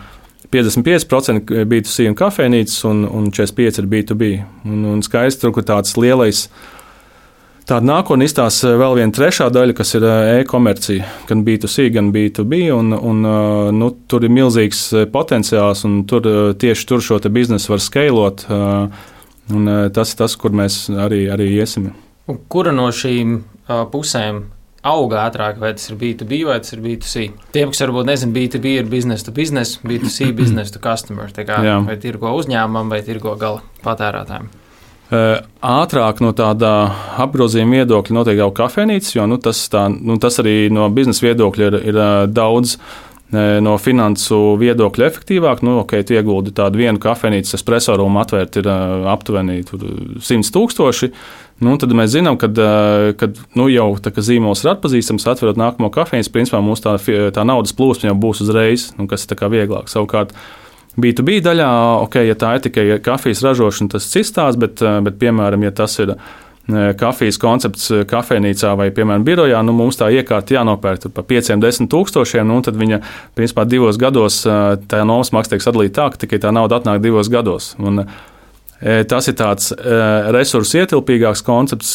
55% B2C un kafejnīcas un 45% ir B2B. Un skaisti tur, kur tāds lielais tāda nākotnē izstāsta vēl viena trešā daļa, kas ir e-komercija, gan B2C, gan B2B, un tur ir milzīgs potenciāls, un tieši tur šo te biznesu var skeilot, un tas ir tas, kur mēs arī iesim. Un kura no šīm pusēm auga ātrāk, vai tas ir B2B vai tas ir B2C? Tiem, kas varbūt nezinu, B2B ir business to business, B2C business to customer, tā kā vai tirgo uzņēmumam vai tirgo gala patērētājiem. Ātrāk no tāda apgrozījuma viedokļa noteikti jau kafejnīcas, jo tas arī no biznesa viedokļa ir daudz no finansu viedokļa efektīvāk. Tu ieguldi tādu vienu kafejnīcas espresso rūmu atvērt ir aptuveni 100,000. Tad mēs zinām, ka jau tā kā zīmols ir atpazīstams, atverot nākamo kafejnīcu, principā mūsu tā naudas plūsma jau būs uzreiz, kas ir tā kā vieglāk. Savukārt B2B daļā, ja tā ir tikai kafijas ražošana, tas cits stāsts, bet piemēram, ja tas ir kafijas koncepts kafejnīcā vai, piemēram, birojā, mums tā iekārta jānopērk par 5-10 tūkstošiem, tad viņa, principā, 2 gados tā nomas maksa tiek sadalīta tā, ka tikai tā nauda atnāk 2 gados. Un tas ir tāds resursu ietilpīgāks koncepts,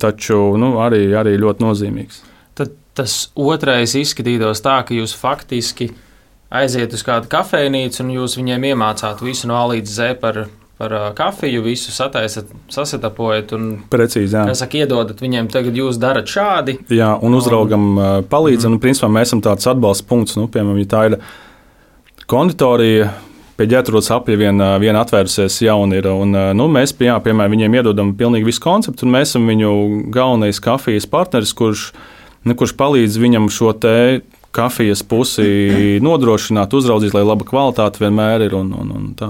taču arī ļoti nozīmīgs. Tad tas otrais izskatītos tā, ka jūs faktiski aiziet uz kādu kafejnīcu un jūs viņiem iemācāt visu no A līdz Z par kafiju, visu sataisat, sasetapojat un precīzi, iedodat viņiem, tagad jūs darat šādi. Jā, un uzraugam palīdzam. Principā mēs esam tāds atbalsta punkts, piemēram, ja tā ir konditorija, pie ģērbtuves apļa viena atvērusies jauna ir, un mēs, piemēram, viņiem iedodam pilnīgi visu konceptu, un mēs esam viņu galvenais kafijas partneris, kurš palīdz viņam šo te kafijas pusi nodrošināt, uzraudzīt, lai laba kvalitāte vienmēr ir un tā.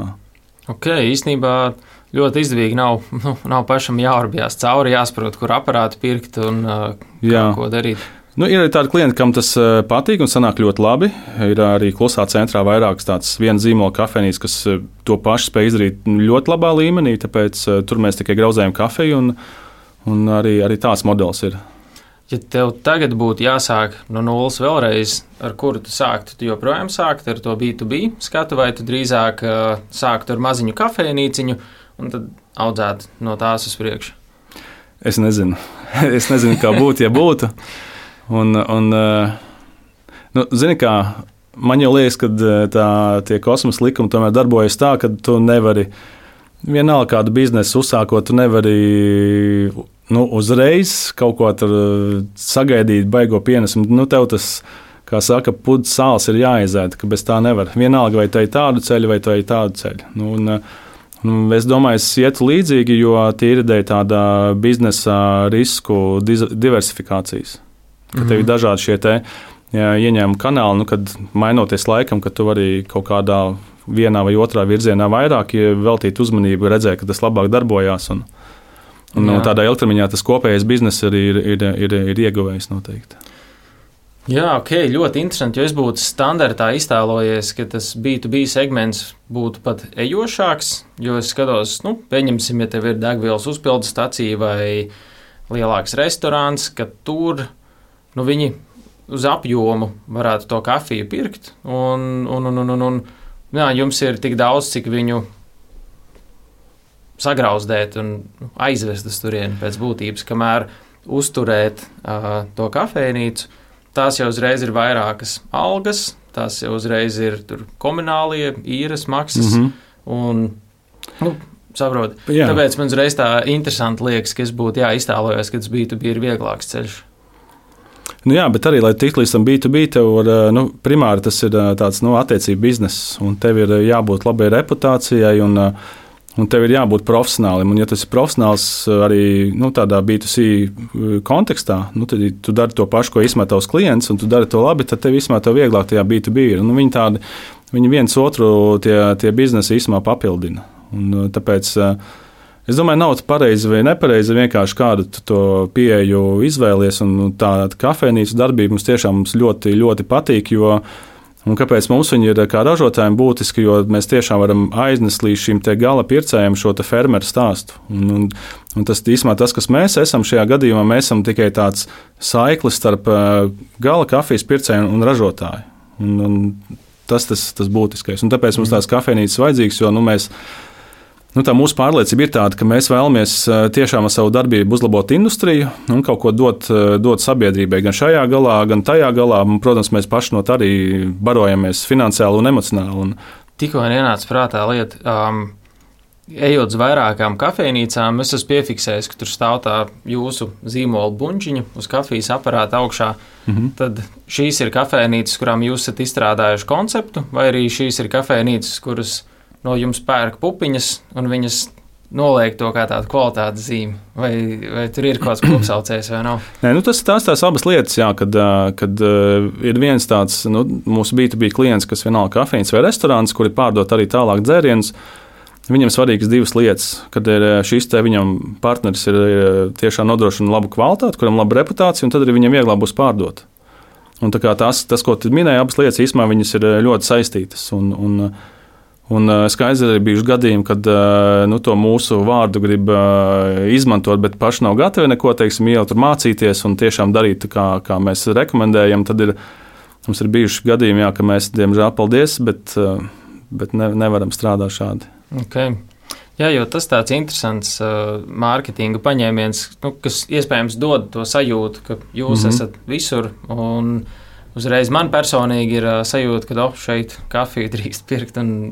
Īstenībā ļoti izdevīgi nav pašam jāurbjās cauri, jāsaprot, kur aparātu pirkt un ko darīt. Ir arī tādi klienti, kam tas patīk un sanāk ļoti labi. Ir arī klusā centrā vairākas tādas viena zīmola kafejnīcas, kas to pašu spēj izdarīt ļoti labā līmenī, tāpēc tur mēs tikai grauzējam kafiju un arī tāds modelis ir. Ja tev tagad būtu jāsāk no nulles vēlreiz, ar kuru tu sāktu, tu joprojām sāktu ar to B2B skatu, vai tu drīzāk sāktu ar maziņu kafejnīciņu un tad audzētu no tās uz priekšu? Es nezinu. Kā būtu, ja būtu. Zini kā, man jau liekas, ka tie kosmosa likumi tomēr darbojas tā, ka tu nevari vienalga kādu biznesu uzsākot, tu nevari uzreiz kaut ko tur sagaidīt, baigo pienesumu. Tev tas, kā saka, puds sāls ir jāizēd, ka bez tā nevar. Vienalga, vai tai tādu ceļu, vai tai tādu ceļu. Es domāju, es ietu līdzīgi, jo tie ir ideja tāda biznesa risku diversifikācijas. Ka tev ir dažādi šie ieņēmuma kanāli, kad mainoties laikam, ka tu vari kaut kādā vienā vai otrā virzienā vairāk veltīt uzmanību, redzēt, ka tas labāk darbojās. Tādā ilgtermiņā tas kopējais bizness arī ir ieguvējis noteikti. Jā, ok, ļoti interesanti, jo es būtu standartā iztēlojies, ka tas B2B segments būtu pat ejošāks, jo es skatos, pieņemsim, ja tev ir degvielas uzpildes stacija vai lielāks restorāns, ka tur, viņi uz apjomu varētu to kafiju pirkt, un jums ir tik daudz, cik viņu sagrauzdēt un aizvest uz turieni pēc būtības, kamēr uzturēt to kafejnīcu. Tās jau uzreiz ir vairākas algas, tās jau uzreiz ir komunālie, īres maksas. Un, saprot. Tāpēc man uzreiz tā interesanti liekas, ka es būtu iztēlojos, ka tas B2B ir vieglāks ceļš. Jā, bet arī, lai tiktu līdz tam B2B, tev primāri tas ir tāds attiecību bizness, un tev ir jābūt labai reputācijai, un tev ir jābūt profesionālim. Un, ja tas ir profesionāls arī tādā B2C kontekstā, tad tu dari to pašu, ko izmet tavs klients, un tu dari to labi, tad tev izmet vieglāk tajā B2B ir. Viņi viens otru tie biznesi īsumā papildina. Un, tāpēc es domāju, nav pareizi vai nepareizi vienkārši kādu to pieeju izvēlies, un tā kafejnīcu darbība mums tiešām ļoti, ļoti patīk, un kāpēc mums viņi ir kā ražotājiem būtiski, jo mēs tiešām varam aiznest līdz šim te gala pircējiem šo te fermeru stāstu. Un tas īsumā tas, kas mēs esam šajā gadījumā, mēs esam tikai tāds saiklis starp gala kafijas pircēju un ražotāju. Un tas būtiskais. Un tāpēc mums tās kafejnīcas vajadzīgas, jo mēs tā mūsu pārliecība ir tāda, ka mēs vēlamies tiešām ar savu darbību uzlabot industriju un kaut ko dot sabiedrībai gan šajā galā, gan tajā galā. Un, protams, mēs paši no tā arī barojamies finansiāli un emocionāli. Tikko ienāca prātā lieta, ejot uz vairākām kafejnīcām, es esmu piefiksējis, ka tur stāv tā jūsu zīmola buņģiņa uz kafijas aparāta augšā. Tad šīs ir kafejnīcas, kurām jūs esat izstrādājuši konceptu, vai arī šīs ir kafejnīcas, kuras no jums pērk pupiņas, un viņas noliek to kā tādu kvalitātes zīmi. Vai tur ir kaut kāds kopsaucējs vai nav? Nē, tās abas lietas, jā, kad ir viens tāds mūsu B2B klients, kas vienalga kafejnīca vai restorāns, kuri pārdot arī tālāk dzērienus. Viņam svarīgas divas lietas, kad ir šis viņam partneris ir tiešām nodrošina labu kvalitāti, kuram laba reputācija, un tad arī viņam vieglāk būs pārdot. Un tā kā tas, ko tu minēji, abas lietas īstenībā viņas ir ļoti saistītas. Un skaidrs arī bijuši gadījumi, kad to mūsu vārdu grib izmantot, bet paši nav gatavi neko, ielikt tur mācīties un tiešām darīt, kā mēs rekomendējam. Tad mums ir bijuši gadījumi, jā, ka mēs, diemžēl, paldies, bet nevaram strādāt šādi. Okay. Jā, jo tas tāds interesants mārketinga paņēmiens, kas iespējams dod to sajūtu, ka jūs esat visur. Un uzreiz man personīgi ir sajūta, ka šeit kafiju drīkst pirkt, un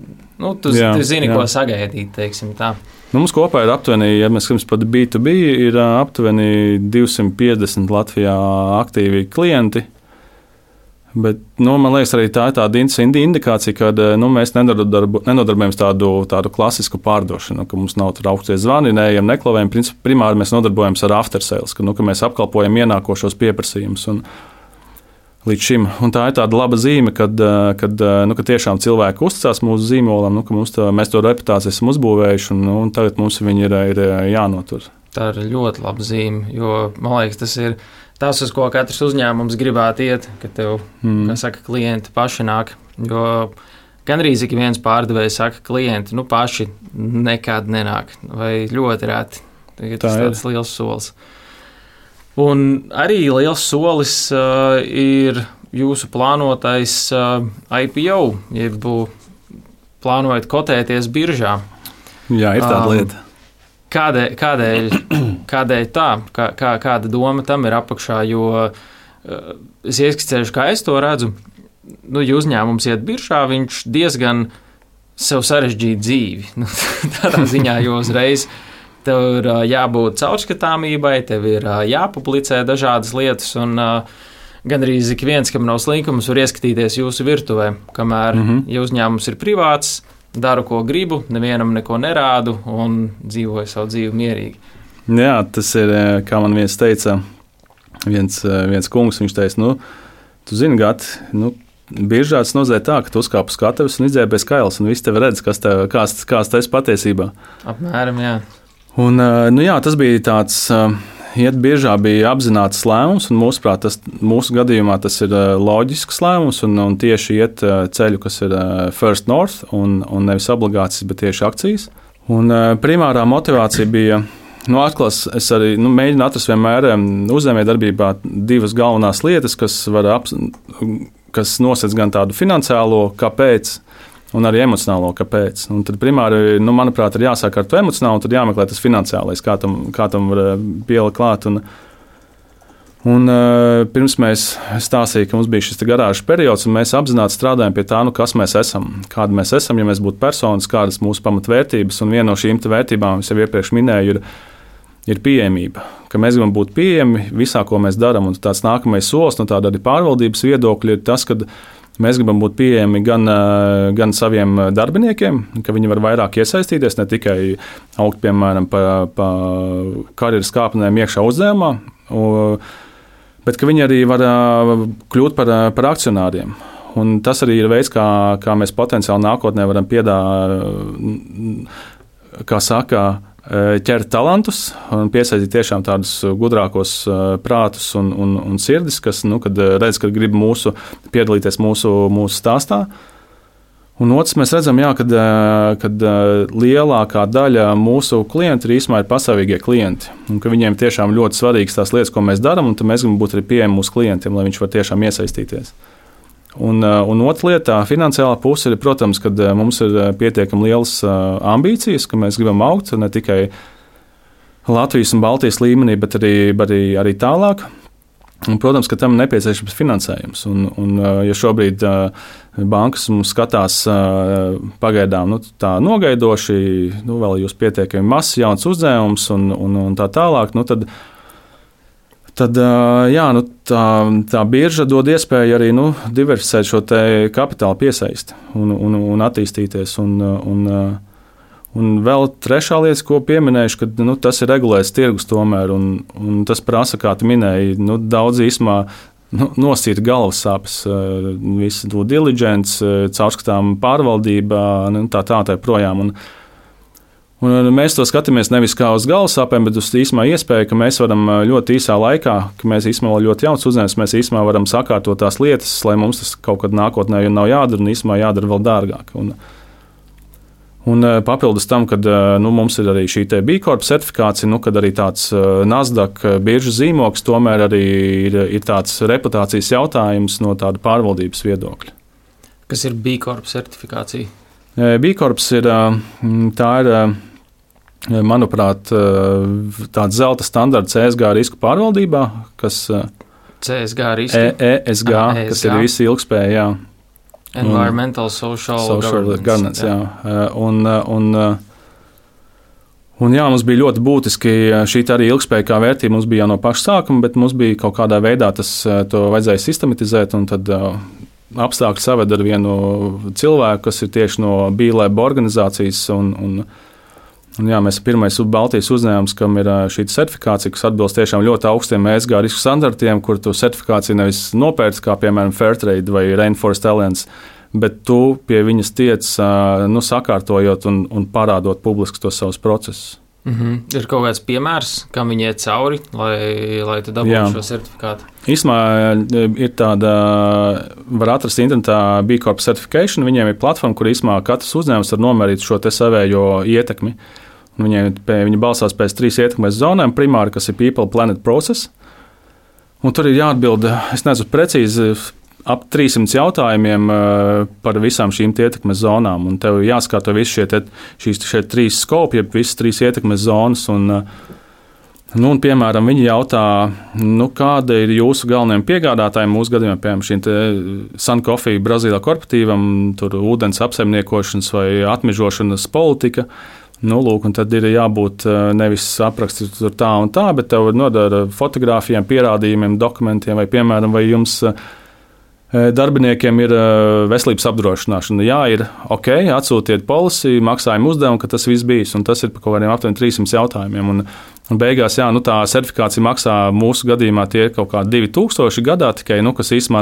tu zini, ko sagaidīt, teiksim tā. Mums kopā ir aptuveni, ja mēs skatāmies par B2B, ir aptuveni 250 Latvijā aktīvi klienti. Bet, man liekas, arī tā ir tāda indikācija, ka mēs nenodarbojamies tādu klasisku pārdošanu, ka mums nav tur augstie zvani, neejam, neklavējam. Primāri mēs nodarbojamies ar after sales, ka mēs apkalpojam ienākošos pieprasījumus. Līdz šim. Un tā ir tāda laba zīme, kad tiešām cilvēki uzticās mūsu zīmolam, ka mēs to reputāciju esam uzbūvējuši, un tagad mums viņi ir jānotur. Tā ir ļoti laba zīme, jo, man liekas, tas ir tas, uz ko katrs uzņēmums gribētu iet, ka tev, kā saka, klienti paši nāk. Jo gandrīz ik viens pārdevējs saka, klienti paši nekad nenāk, vai ļoti reti. Tas ir tāds liels solis. Un arī liels solis ir jūsu plānotais IPO, jeb plānojat kotēties biržā. Jā, ir tāda lieta. Kādēļ tā? Kāda doma tam ir apakšā? Jo es ieskicēšu, kā es to redzu. ja uzņēmums iet biržā, viņš diezgan sev sarežģīja dzīvi. Tādā ziņā, jo uzreiz tev ir jābūt caurskatāmībai, tev ir jāpublicē dažādas lietas, un gandrīz ik viens, kam nav slinkums, var ieskatīties jūsu virtuvē, kamēr, ja uzņēmums ir privāts, daru, ko gribu, nevienam neko nerādu un dzīvoju savu dzīvi mierīgi. Jā, tas ir, kā man viens teica, viens kungs, viņš teica, tu zini, Gati, biržā tas nozīmē tā, ka tu uzkāp uz skatuves un izdzēbies kails, un visi tevi redz, kāds tas patiesībā. Apmēram, jā. Un, jā, tas bija tāds, iet biržā bija apzināts lēmums, un mūsu gadījumā tas ir loģisks lēmums, un tieši iet ceļu, kas ir First North, un nevis obligācijas, bet tieši akcijas. Un primārā motivācija bija, es arī mēģinu atrast vienmēr uzņēmējdarbībā divas galvenās lietas, kas nosacīs gan tādu finansiālo, kāpēc, un arī emocionālo, kāpēc. Un tad primāri, manuprāt, ir jāsāk ar to emocionālo, un tad jāmeklē tas finansiālais, kā tam var pielikt klāt. Un pirms mēs stāstīja, ka mums bija šis garāžas periods, un mēs apzināti strādājam pie tā, kas mēs esam, kāda mēs esam, ja mēs būtu personas, kādas mūsu pamatvērtības, un viena no šīm vērtībām, es jau iepriekš minēju, ir pieejamība, ka mēs gribam būt pieejami visā, ko mēs darām. Un tāds nākamais solis no tāda arī pārvaldības viedokļa ir tas, ka mēs gribam būt pieejami gan saviem darbiniekiem, ka viņi var vairāk iesaistīties, ne tikai augt, piemēram, pa karjeras kāpnēm iekšā uzņēmumā, bet ka viņi arī var kļūt par akcionāriem. Un tas arī ir veids, kā mēs potenciāli nākotnē varam ķert talantus un piesaistīt tiešām tādus gudrākos prātus un sirdis, kas, kad redz, ka grib piedalīties mūsu stāstā. Un otrs, mēs redzam, kad lielākā daļa mūsu klientu īstenībā ir pastāvīgie klienti, un ka viņiem tiešām ļoti svarīgas tās lietas, ko mēs darām, un tad mēs gribam būt arī pieejami mūsu klientiem, lai viņš var tiešām iesaistīties. Un otra lieta, finansiālā puse ir, protams, kad mums ir pietiekami lielas ambīcijas, ka mēs gribam augt ne tikai Latvijas un Baltijas līmenī, bet arī tālāk. Un, protams, ka tam ir nepieciešams finansējums. Un ja šobrīd bankas mums skatās pagaidām tā nogaidoši, vēl jūs pietiekami mazs jauns uzņēmums un tā tālāk, tad jā, tā birža dod iespēju arī diversificēt šo kapitāla piesaisti un attīstīties. Un vēl trešā lieta, ko pieminēšu, ka tas ir regulēts tirgus tomēr, un tas prasa, kā tu minēji, daudz īsumā nosīt galvas sāpes, visu to diligence, caurskatām pārvaldībā, tā projām. Un mēs to skatāmies nevis kā uz galvassāpēm, bet uz īsumā iespēju, ka mēs varam ļoti īsā laikā, ka mēs īsumā vēl ļoti jauns uzņēmums, mēs īsumā varam sakārtot tās lietas, lai mums tas kaut kad nākotnē nav jādara un īsumā jādara vēl dārgāk. Un papildus tam, kad mums ir arī šī B Corp certifikācija, kad arī tāds Nasdaq biržas zīmogs tomēr arī ir tāds reputācijas jautājums no tāda pārvaldības viedokļa. Kas ir B Corp certifikācija? B Corp ir, manuprāt, tāds zelta standarts ESG risku pārvaldībā, kas CSG risku? ESG, kas ir visi ilgspēja, jā. Environmental, social governance. Jā. Un jā, mums bija ļoti būtiski šī arī ilgspēja kā vērtība. Mums bija jau no paša sākuma, bet mums bija kaut kādā veidā to vajadzēja sistematizēt, un tad apstākļi saved ar vienu cilvēku, kas ir tieši no B-Lab organizācijas. Un jā, mēs esam pirmais Baltijas uzņēmums, kam ir šī certifikācija, kas atbilst tiešām ļoti augstiem ESG risku standartiem, kur tu certifikāciju nevis nopērci, kā piemēram Fairtrade vai Rainforest Alliance, bet tu pie viņas tiec sakārtojot un parādot publiski tos savus procesus. Ir kaut kāds piemērs, kam viņi iet cauri, lai tu dabūtu šo certifikātu? Īsumā ir tāda, var atrast internetā B Corp Certification, viņiem ir platforma, kur īsumā katrs uzņēmums var nomērīt šo savējo ietekmi. Viņi balstās pēc 3 ietekmes zonām, primāri, kas ir People, Planet, Process. Un tur ir jāatbild, es nezinu precīzi, ap 300 jautājumiem par visām šīm ietekmes zonām. Un tev jāskata visi šie 3 skopi, jeb visas 3 ietekmes zonas. Un Nu, un, piemēram, viņi jautā, kāda ir jūsu galvenajiem piegādātājiem mūsu gadījumā, piemēram, šīm Sun Coffee Brazīlijā korporatīvam, tur ūdens apsaimniekošanas vai atmežošanas politika. Lūk, un tad ir jābūt nevis apraksti tur tā un tā, bet tev ir nodara fotogrāfijām, pierādījumiem, dokumentiem, vai, piemēram, vai jums darbiniekiem ir veselības apdrošināšana. Jā, ir ok, atsūtiet policiju, maksājumu uzdevumu, ka tas viss bijis, un tas ir par kaut kādiem aptuveni 300 jautājumiem. Un beigās, jā, tā certifikācija maksā mūsu gadījumā tie ir kaut kādi 2000 gadā tikai, kas īstenībā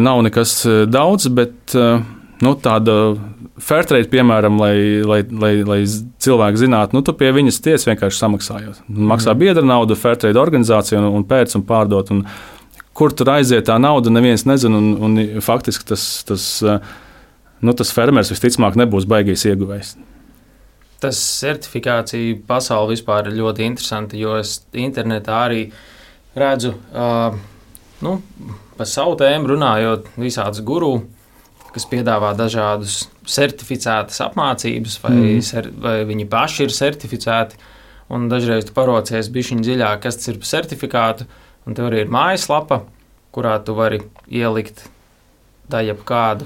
nav nekas daudz, bet tāda Fairtrade, piemēram, lai cilvēki zinātu, tu pie viņas tiec vienkārši samaksājot. Maksā biedra naudu, Fairtrade organizācija un pēc un pārdot. Un kur tur aiziet tā nauda, neviens nezina, un faktiski tas fermers visticamāk nebūs baigais ieguvējs. Tas certifikācija pasaule vispār ir ļoti interesanta, jo es internetā arī redzu, par savu tēmu runājot, visādus guru, kas piedāvā dažādus certificētas apmācības, vai viņi paši ir certificēti, un dažreiz tu parocies bišķiņ dziļāk, kas tas ir par certifikātu, un tev arī ir mājaslapa, kurā tu vari ielikt jebkādu,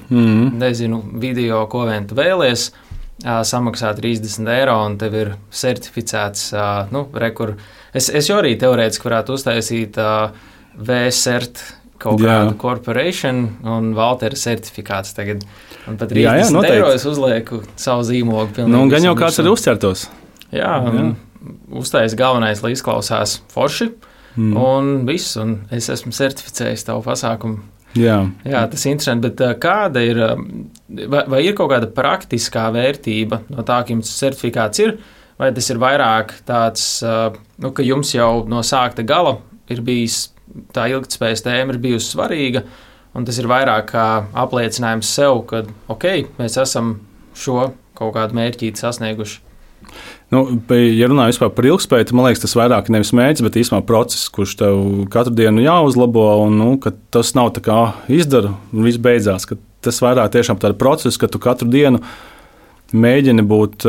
nezinu, video, ko vien tu vēlies, samaksā 30 eiro, un tev ir certificēts, Es jau arī teorētiski varētu uztaisīt V-cert kaut kādu corporation un Valtera certifikāts tagad. Un pat 30 eiro es uzlieku savu zīmogu. Gan jau kāds arī uzķertos. Jā. Uztais galvenais, lai izklausās forši. Un viss, un es esmu certificējis tavu pasākumu. Jā, tas ir interesanti, bet kāda ir, vai ir kaut kāda praktiskā vērtība no tā, ka jums certifikāts ir, vai tas ir vairāk tāds, ka jums jau no sākta gala ir bijis, tā ilgtspējas tēma ir bijusi svarīga, un tas ir vairāk kā apliecinājums sev, ka, mēs esam šo kaut kādu mērķīti sasnieguši. Ja runājam vispār par ilgspēju, tad man liekas, tas vairāk nevis mērķis, bet īstenībā process, kurš tev katru dienu jāuzlabo, un ka tas nav tā kā izdara un viss beidzās. Tas vairāk tiešām tāda process, ka tu katru dienu mēģini būt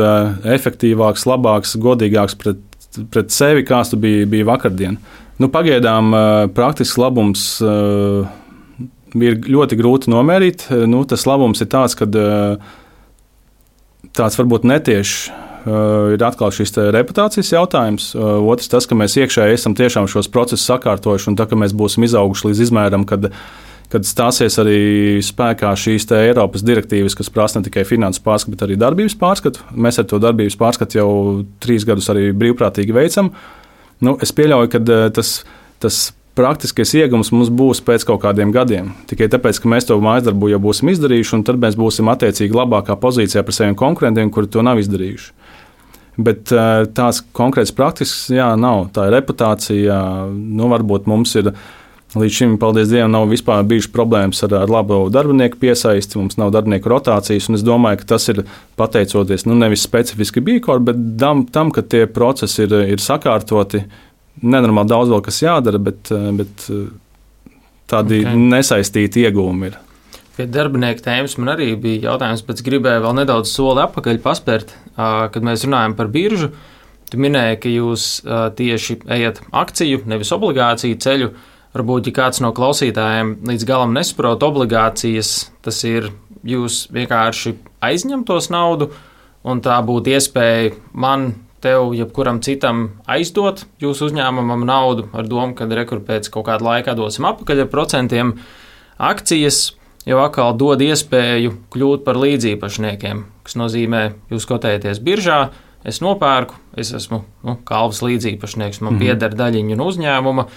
efektīvāks, labāks, godīgāks pret sevi, kāds tu biji vakardien. Pagaidām praktisks labums ir ļoti grūti nomērīt. Tas labums ir tāds, ka tāds varbūt netieši ir atkal šis reputācijas jautājums. Otrs tas, ka mēs iekšēji esam tiešām šos procesus sakārtojuši, un tā, ka mēs būsim izauguši līdz izmēram, kad stāsies arī spēkā šīs Eiropas direktīvas, kas prasa ne tikai finanses pārskatu, bet arī darbības pārskatu. Mēs ar to darbības pārskatu jau 3 gadus arī brīvprātīgi veicam. Es pieļauju, ka tas praktiskais iegums mums būs pēc kaut kādiem gadiem. Tikai tāpēc, ka mēs to mājasdarbu jau būsim izdarījuši, un tad mēs būsim attiecīgi labākā pozīcijā par saviem konkurentiem, kuri to nav izdarījuši. Bet tās konkrētas praktiskas, nav. Tā ir reputācija. Varbūt mums ir līdz šim, paldies Dievam, nav vispār bijušas problēmas ar labu darbinieku piesaisti, mums nav darbinieku rotācijas, un es domāju, ka tas ir pateicoties nevis specifiski Bīkor, bet tam, ka tie procesi ir sakārtoti. Nenormāli daudz vēl kas jādara, bet tādi nesaistīti iegūmi ir. Pie darbinieku tēmas man arī bija jautājums, bet gribēju vēl nedaudz soli atpakaļ paspērt, kad mēs runājam par biržu. Tu minēji, ka jūs tieši ejat akciju, nevis obligāciju ceļu. Varbūt, ja kāds no klausītājiem līdz galam nesaprot obligācijas, tas ir jūs vienkārši aizņemtos naudu, un tā būtu iespēja man, tev, jebkuram citam aizdot jūsu uzņēmumam naudu ar domu, ka pēc kaut kāda laika dosim atpakaļ ar procentiem. Akcijas jau atkal dod iespēju kļūt par līdzīpašniekiem, kas nozīmē, jūs kotējaties biržā, es nopērku, es esmu kalvas līdzīpašnieks, man pieder daļiņa no uzņēmuma,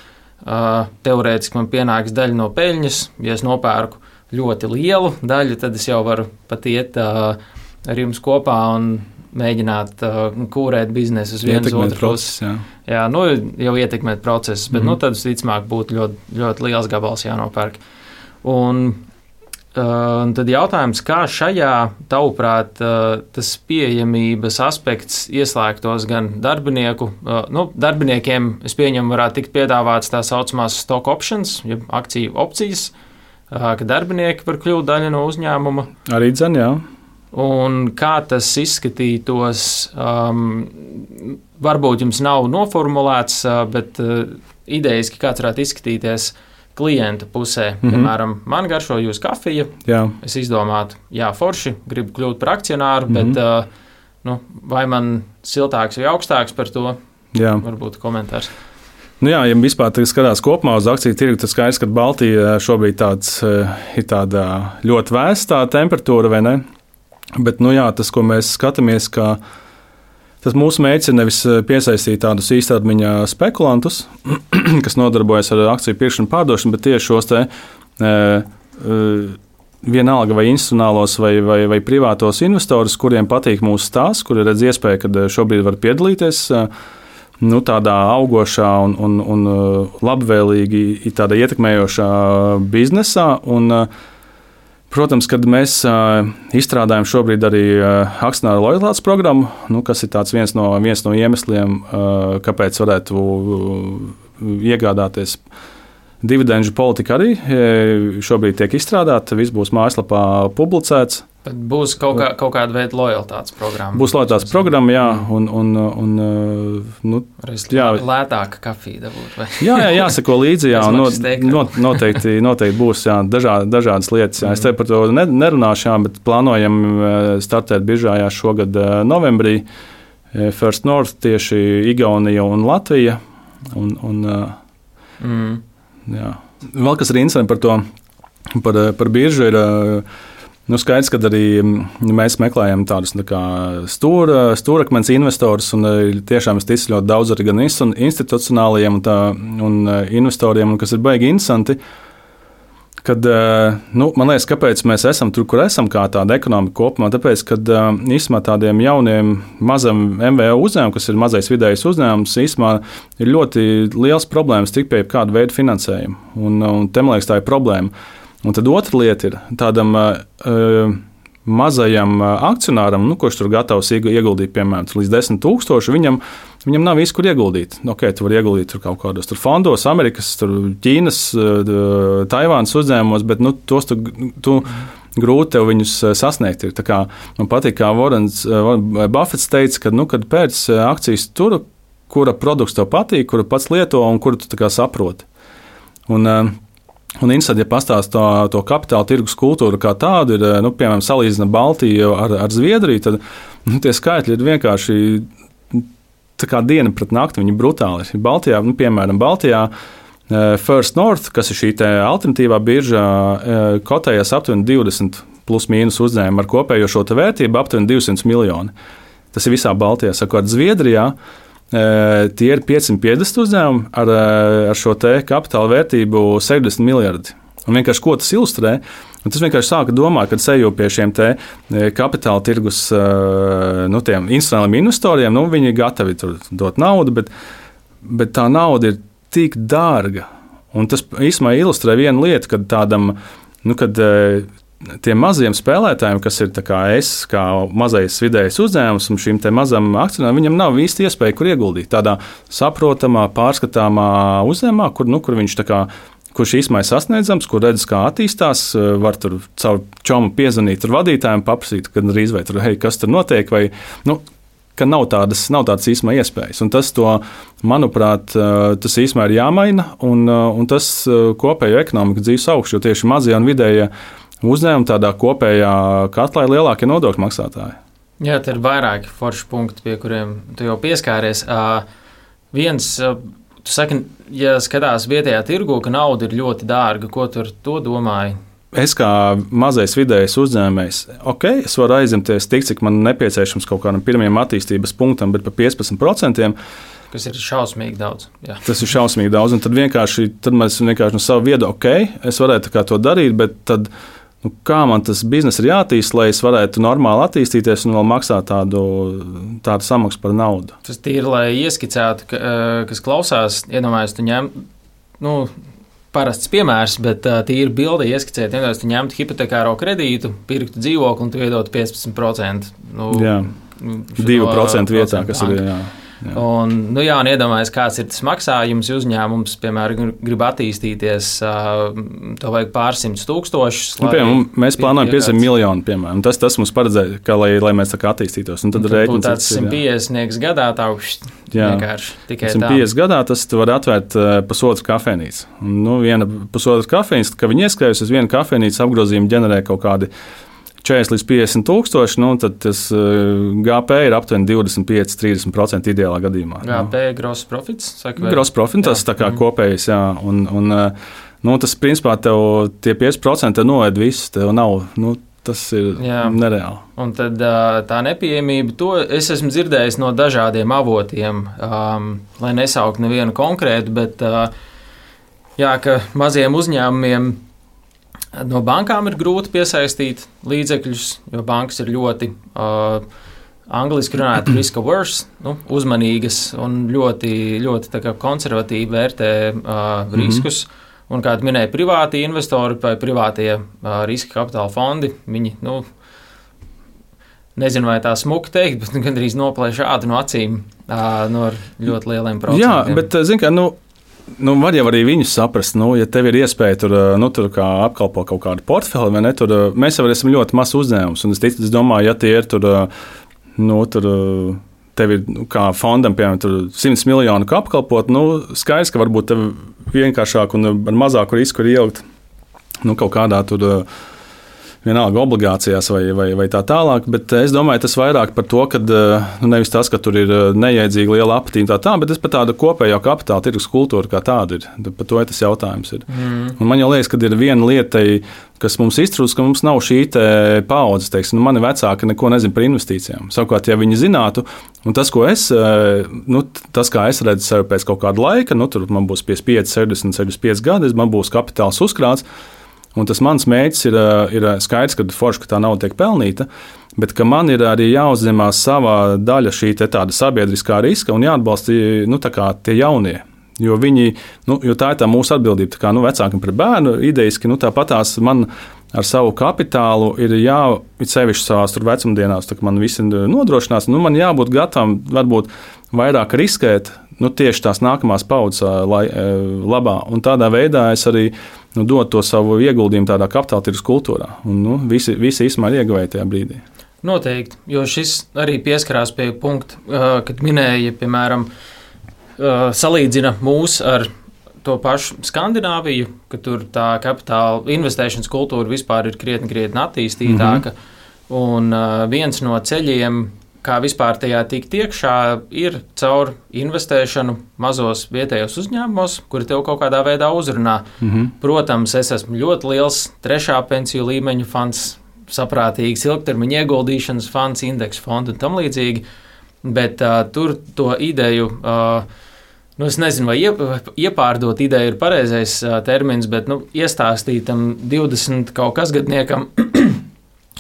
teorētiski man pienāks daļa no peļņas, ja es nopērku ļoti lielu daļu, tad es jau varu pat iet ar jums kopā un mēģināt kūrēt biznesu uz vienas otras puses. Jā, jau ietekmēt procesus, bet tad visticamāk būtu ļoti, ļoti liels gabals jānopērk. Un tad jautājums, kā šajā, tavuprāt, tas pieejamības aspekts ieslēgtos gan darbinieku, darbiniekiem, es pieņemu, varētu tikt piedāvāts tā saucamās stock options, jeb akciju opcijas, ka darbinieki var kļūt daļa no uzņēmuma. Arī dzen, jā. Un kā tas izskatītos, varbūt jums nav noformulēts, bet idejiski kāds varētu izskatīties klienta pusē. Piemēram, man garšo jūsu kafija. Jā. Es izdomātu, forši, gribu kļūt par akcionāru, bet vai man siltāks vai augstāks par to? Jā. Varbūt komentārs. Ja vispār skatās kopumā uz akciju tirgu, tad skaidrs, ka Baltija šobrīd ir tāda ļoti vēsta temperatūra, vai ne? Bet, tas, ko mēs skatāmies, ka tas mūsu mērķis ir nevis piesaistīt tādus īstermiņa spekulantus, kas nodarbojas ar akciju pirkšanu, pārdošanu, bet tieši šos vienalga vai institucionālos vai privātos investorus, kuriem patīk mūsu stāsts, kuri redz iespēju, ka šobrīd var piedalīties tādā augošā un labvēlīgi tādā ietekmējošā biznesā. Protams, kad mēs izstrādājam šobrīd arī akcionāru lojalitātes programmu, kas ir viens no iemesliem, kāpēc varētu iegādāties. Dividendžu politika arī šobrīd tiek izstrādāta, viss būs mājaslapā publicēts. Bet būs kaut kāda veida lojalitātes programma. Būs lojalitātes programma, jā. Lētāka kafija dabūt, vai? Jā, jāsako līdzi, jā. Noteikti būs, jā, dažādas lietas. Jā. Es te par to nerunāšu, bet plānojam startēt biržā šogad novembrī. First North tieši Igaunija un Latvija. Jā. Vēl kas ir interesanti par biržu ir, skaidrs, ka arī mēs meklējam tādus stūrakmens investorus, un tiešām es ticu ļoti daudz arī gan institucionālajiem un investoriem, kas ir baigi interesanti. Kad, man liekas, kāpēc mēs esam tur, kur esam, kā tāda ekonomika kopumā, tāpēc, ka īstenībā tādiem jauniem mazam MVO uzņēmumam, kas ir mazais vidējais uzņēmums, īstenībā ir ļoti liels problēmas tikt pie kāda veida finansējuma, un te, man liekas, tā ir problēma. Un tad otra lieta ir tādam mazajam akcionāram, kurš tur gatavs ieguldīt, piemēram, līdz 10,000, viņam nav visu, kur ieguldīt. Tu vari ieguldīt tur kaut kādos fondos, Amerikas, Ķīnas, Taivānas uzņēmumos, bet tos tu grūti tev viņus sasniegt. Tā kā man patīk, kā Warrens Buffets teica, kad pēc akcijas tur, kura produkts tev patīk, kuru pats lieto un kuru tu saproti. Un interesanti, ja pastāst to kapitāla tirgus kultūru kā tādu, ir, piemēram, salīdzina Baltiju ar Zviedriju, tad tie skaitļi ir vienkārši tā kā diena pret nakti, viņi brutāli ir. Baltijā, piemēram, First North, kas ir šī alternatīvā birža, kotējas aptuveni 20 plus mīnus uzņēmumu ar kopējo šo vērtību aptuveni 200 miljoni. Tas ir visā Baltijā. Savukārt Zviedrijā tie ir 550 uzņēmumi ar šo kapitāla vērtību 70 miljardi. Un vienkārši ko tas ilustrē? Un tas vienkārši sāka domāt, kad eju pie šiem kapitāla tirgus tiem institucionāliem investoriem, viņi gatavi tur dot naudu, bet tā nauda ir tik dārga. Un tas īstenībā ilustrē vienu lietu, kad tādam, kad tiem maziem spēlētājiem, kas ir kā mazais vidējais uzņēmums un šim mazam akcionāram, viņam nav īsti iespēja, kur ieguldīt. Tādā saprotamā, pārskatāmā uzņēmumā, kur viņš kurš īstenībā ir sasniedzams, kur redzes, kā attīstās, var tur caur čomu piezvanīt vadītājiem, paprasīt, kad drīz vai tur, kas tur notiek, vai, ka nav tādas īstenībā iespējas. Un tas manuprāt, tas īstenībā ir jāmaina, un tas kopējo ekonomiku dzīves augšu, jo tieši mazie un vidējie uzņēmumi tādā kopējā katlā ir lielākie nodokļu maksātāji. Jā, te ir vairāki forši punkti, pie kuriem tu jau pieskāries. Viens, tu saki, ja skatās vietējā tirgu, ka nauda ir ļoti dārga, ko tu ar to domāji? Es kā mazais vidējais uzņēmējs, es varu aizņemties tik, cik man nepieciešams kaut kādam pirmajam attīstības punktam, bet pa 15%. Kas ir šausmīgi daudz. Jā. Tas ir šausmīgi daudz, un tad mēs vienkārši no savu viedu, es varētu to darīt, bet tad, kā man tas biznes ir jātīst, lai es varētu normāli attīstīties un vēl maksāt tādu samaksu par naudu. Tas tīri, lai ieskicētu, kas klausās, iedomājies, tu ņem, parasts piemērs, bet tīri bilde ieskicēt, iedomājies, tu ņemtu hipotekāro kredītu, pirktu dzīvokli un tu iedotu 15%. 2% vietā, kas ir, jā. Un iedomājies, kāds ir tas maksājums. Uzņēmums, piemēram, grib attīstīties, to vajag pārsimtus tūkstošus. Mēs plānojam 50 miljonu, piemēram. Tas mums paredzēja, lai mēs tā kā attīstītos. Un tad būtu tāds 150 gadā, vienkārši tikai tā. 150 gadā tas var atvērt pusotru kafejnīcu. Viena pusotra kafejnīca, kad viņi ieskrējas uz vienu kafejnīcu, apgrozījumi ģenerē kaut kādi 40 līdz 50 tūkstoši, tad tas GP ir aptuveni 25-30% ideālā gadījumā. GP gross profits? Gross profits, tas tā kā kopējais, jā. Un tas, principā, tev tie 5% noēd visu, tev nav, tas ir nereāli. Un tad tā nepieejamība, to es esmu dzirdējis no dažādiem avotiem, lai nesaukt nevienu konkrētu, bet ka maziem uzņēmumiem no bankām ir grūti piesaistīt līdzekļus, jo bankas ir ļoti, angliski runājot, risk averse, uzmanīgas un ļoti, ļoti tā kā konservatīvi vērtē riskus. Un, kā minēja, privāti investori vai privātie riska kapitāla fondi, viņi, nezinu, vai tā smuki teikt, bet gandrīz noplēš ādu no acīm no ļoti lieliem procentiem. Jā, bet, zin kā, var jau arī viņus saprast, ja tev ir iespēja tur kā apkalpo kaut kādu portfeli, vai ne, mēs jau esam ļoti mazs uzņēmums, un es domāju, ja tie ir tev ir kā fondam, piemēram, 100 miljonu kā apkalpot, skaidrs, ka varbūt tev vienkāršāk un ar mazāku risku ir ielikt kaut kādā vienalga obligācijās vai tā tālāk, bet es domāju, tas vairāk par to, ka nevis tas, ka tur ir neiedzīgi liela apatīna tā, bet tas par tādu kopējo kapitāla tirgus kultūru kā tādu ir. Par to tas jautājums ir. Un man jau liekas, ka ir viena lieta, kas mums iztrūkst, ka mums nav šī paaudzes, teiksim, mani vecāki neko nezina par investīcijām. Savukārt, ja viņi zinātu, un tas, ko tas, kā es redzu sevi pēc kaut kāda laika, tur man būs 55, 60, 65 gadi, man būs kapitāls uzkrāts. Un tas mans mērķis ir skaidrs, ka forši, ka tā nauda tiek pelnīta, bet ka man ir arī jāuzņemās savā daļa šī tāda sabiedriskā riska un jāatbalsta tie jaunie. Jo tā ir tā mūsu atbildība, tā kā vecākiem par bērnu idejiski, tāpatās man ar savu kapitālu ir sevišķi savās vecumdienās, tā kā man visi nodrošinās, man jābūt gatavam varbūt vairāk riskēt, tieši tās nākamās paudzes labā. Un tādā veidā es arī dod to savu ieguldījumu tādā kapitāla tirgus kultūrā. Un visi īstenībā ir ieguvēji tajā brīdī. Noteikti, jo šis arī pieskarās pie punkta, kad minēja, piemēram, salīdzina mūs ar to pašu Skandināviju, ka tur tā kapitāla investēšanas kultūra vispār ir krietni attīstītāka. Un viens no ceļiem, kā vispār tajā tikt iekšā, ir caur investēšanu mazos vietējos uzņēmumos, kuri tev kaut kādā veidā uzrunā. Protams, es esmu ļoti liels trešā pensiju līmeņa fonds, saprātīgs ilgtermiņa ieguldīšanas fonds, indeksu fondu un tam līdzīgi, bet tur to ideju, es nezinu, vai iepārdot ideju ir pareizais termins, bet iestāstīt tam 20 kaut kas gadniekam,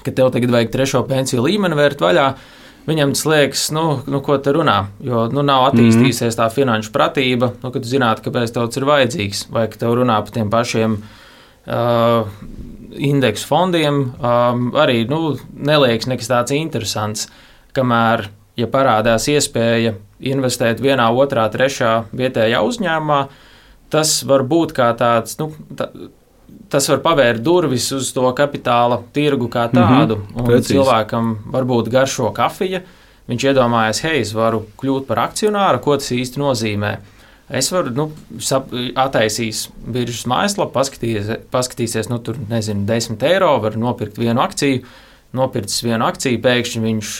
ka tev tagad vajag trešo pensiju līmeni vērt vaļā, viņam tas liekas, ko te runā, jo nav attīstījusies tā finanšu pratība, ka tu zinātu, kāpēc tev tas ir vajadzīgs, vai ka tev runā par tiem pašiem indeksu fondiem, arī neliekas nekas tāds interesants, kamēr, ja parādās iespēja investēt vienā, otrā, trešā vietējā uzņēmumā, tas var būt kā tāds, tas var pavērt durvis uz to kapitāla tirgu kā tādu. Cilvēkam varbūt garšo kafija. Viņš iedomājas, es varu kļūt par akcionāru, ko tas īsti nozīmē. Es varu attaisīs biržas mājaslapu, paskatīsies, tur, nezinu, 10 eiro, var nopirkt vienu akciju, nopircis vienu akciju, pēkšņi viņš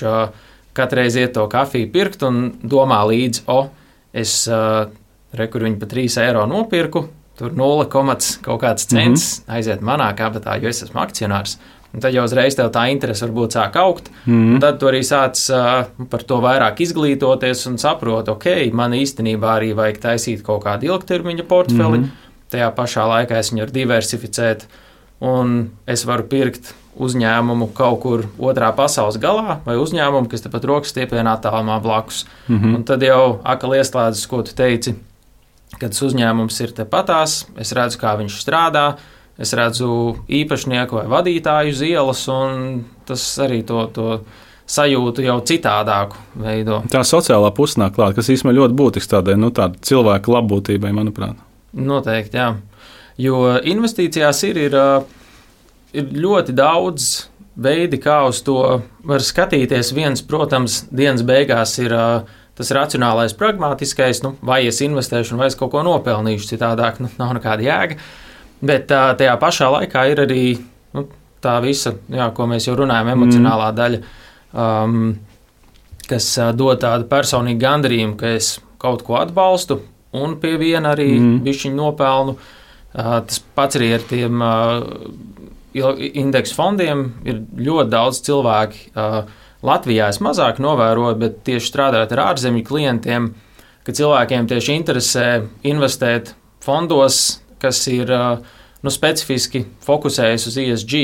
katreiz iet to kafiju pirkt un domā līdzi, es kur viņu pa 3 eiro nopirku, tur 0, kaut kāds cents aiziet manā kabatā, jo es esmu akcionārs. Un tad jau uzreiz tev tā interese varbūt sāk augt, un tad tu arī sāc par to vairāk izglītoties un saprot, man īstenībā arī vajag taisīt kaut kādu ilgtermiņa portfeli, tajā pašā laikā es viņu varu diversificēt, un es varu pirkt uzņēmumu kaut kur otrā pasaules galā, vai uzņēmumu, kas tepat rokas stiepienā tālumā blakus. Un tad jau akal ieslēdzas, ko tu teici, kad uzņēmums ir tepatās, es redzu, kā viņš strādā, es redzu īpašnieku vai vadītāju uz ielas, un tas arī to sajūtu jau citādāku veido. Tā sociālā pusē nāk klāt, kas īstenībā ļoti būtisks tādai cilvēka labbūtībai, manuprāt. Noteikti, jā. Jo investīcijās ir ļoti daudz veidi, kā uz to var skatīties. Viens, protams, dienas beigās ir tas racionālais, pragmatiskais, vai es investēšu, vai es kaut ko nopelnīšu, citādāk nav nekāda jēga. Bet tajā pašā laikā ir arī tā visa, ko mēs jau runājam, emocionālā daļa, kas dod tādu personīgu gandarījumu, ka es kaut ko atbalstu un pie viena arī bišķiņu nopelnu. Tas pats arī ar tiem indeksu fondiem ir ļoti daudz cilvēki. Latvijā es mazāk novēroju, bet tieši strādājot ar ārzemju klientiem, ka cilvēkiem tieši interesē investēt fondos, kas ir specifiski fokusējas uz ESG.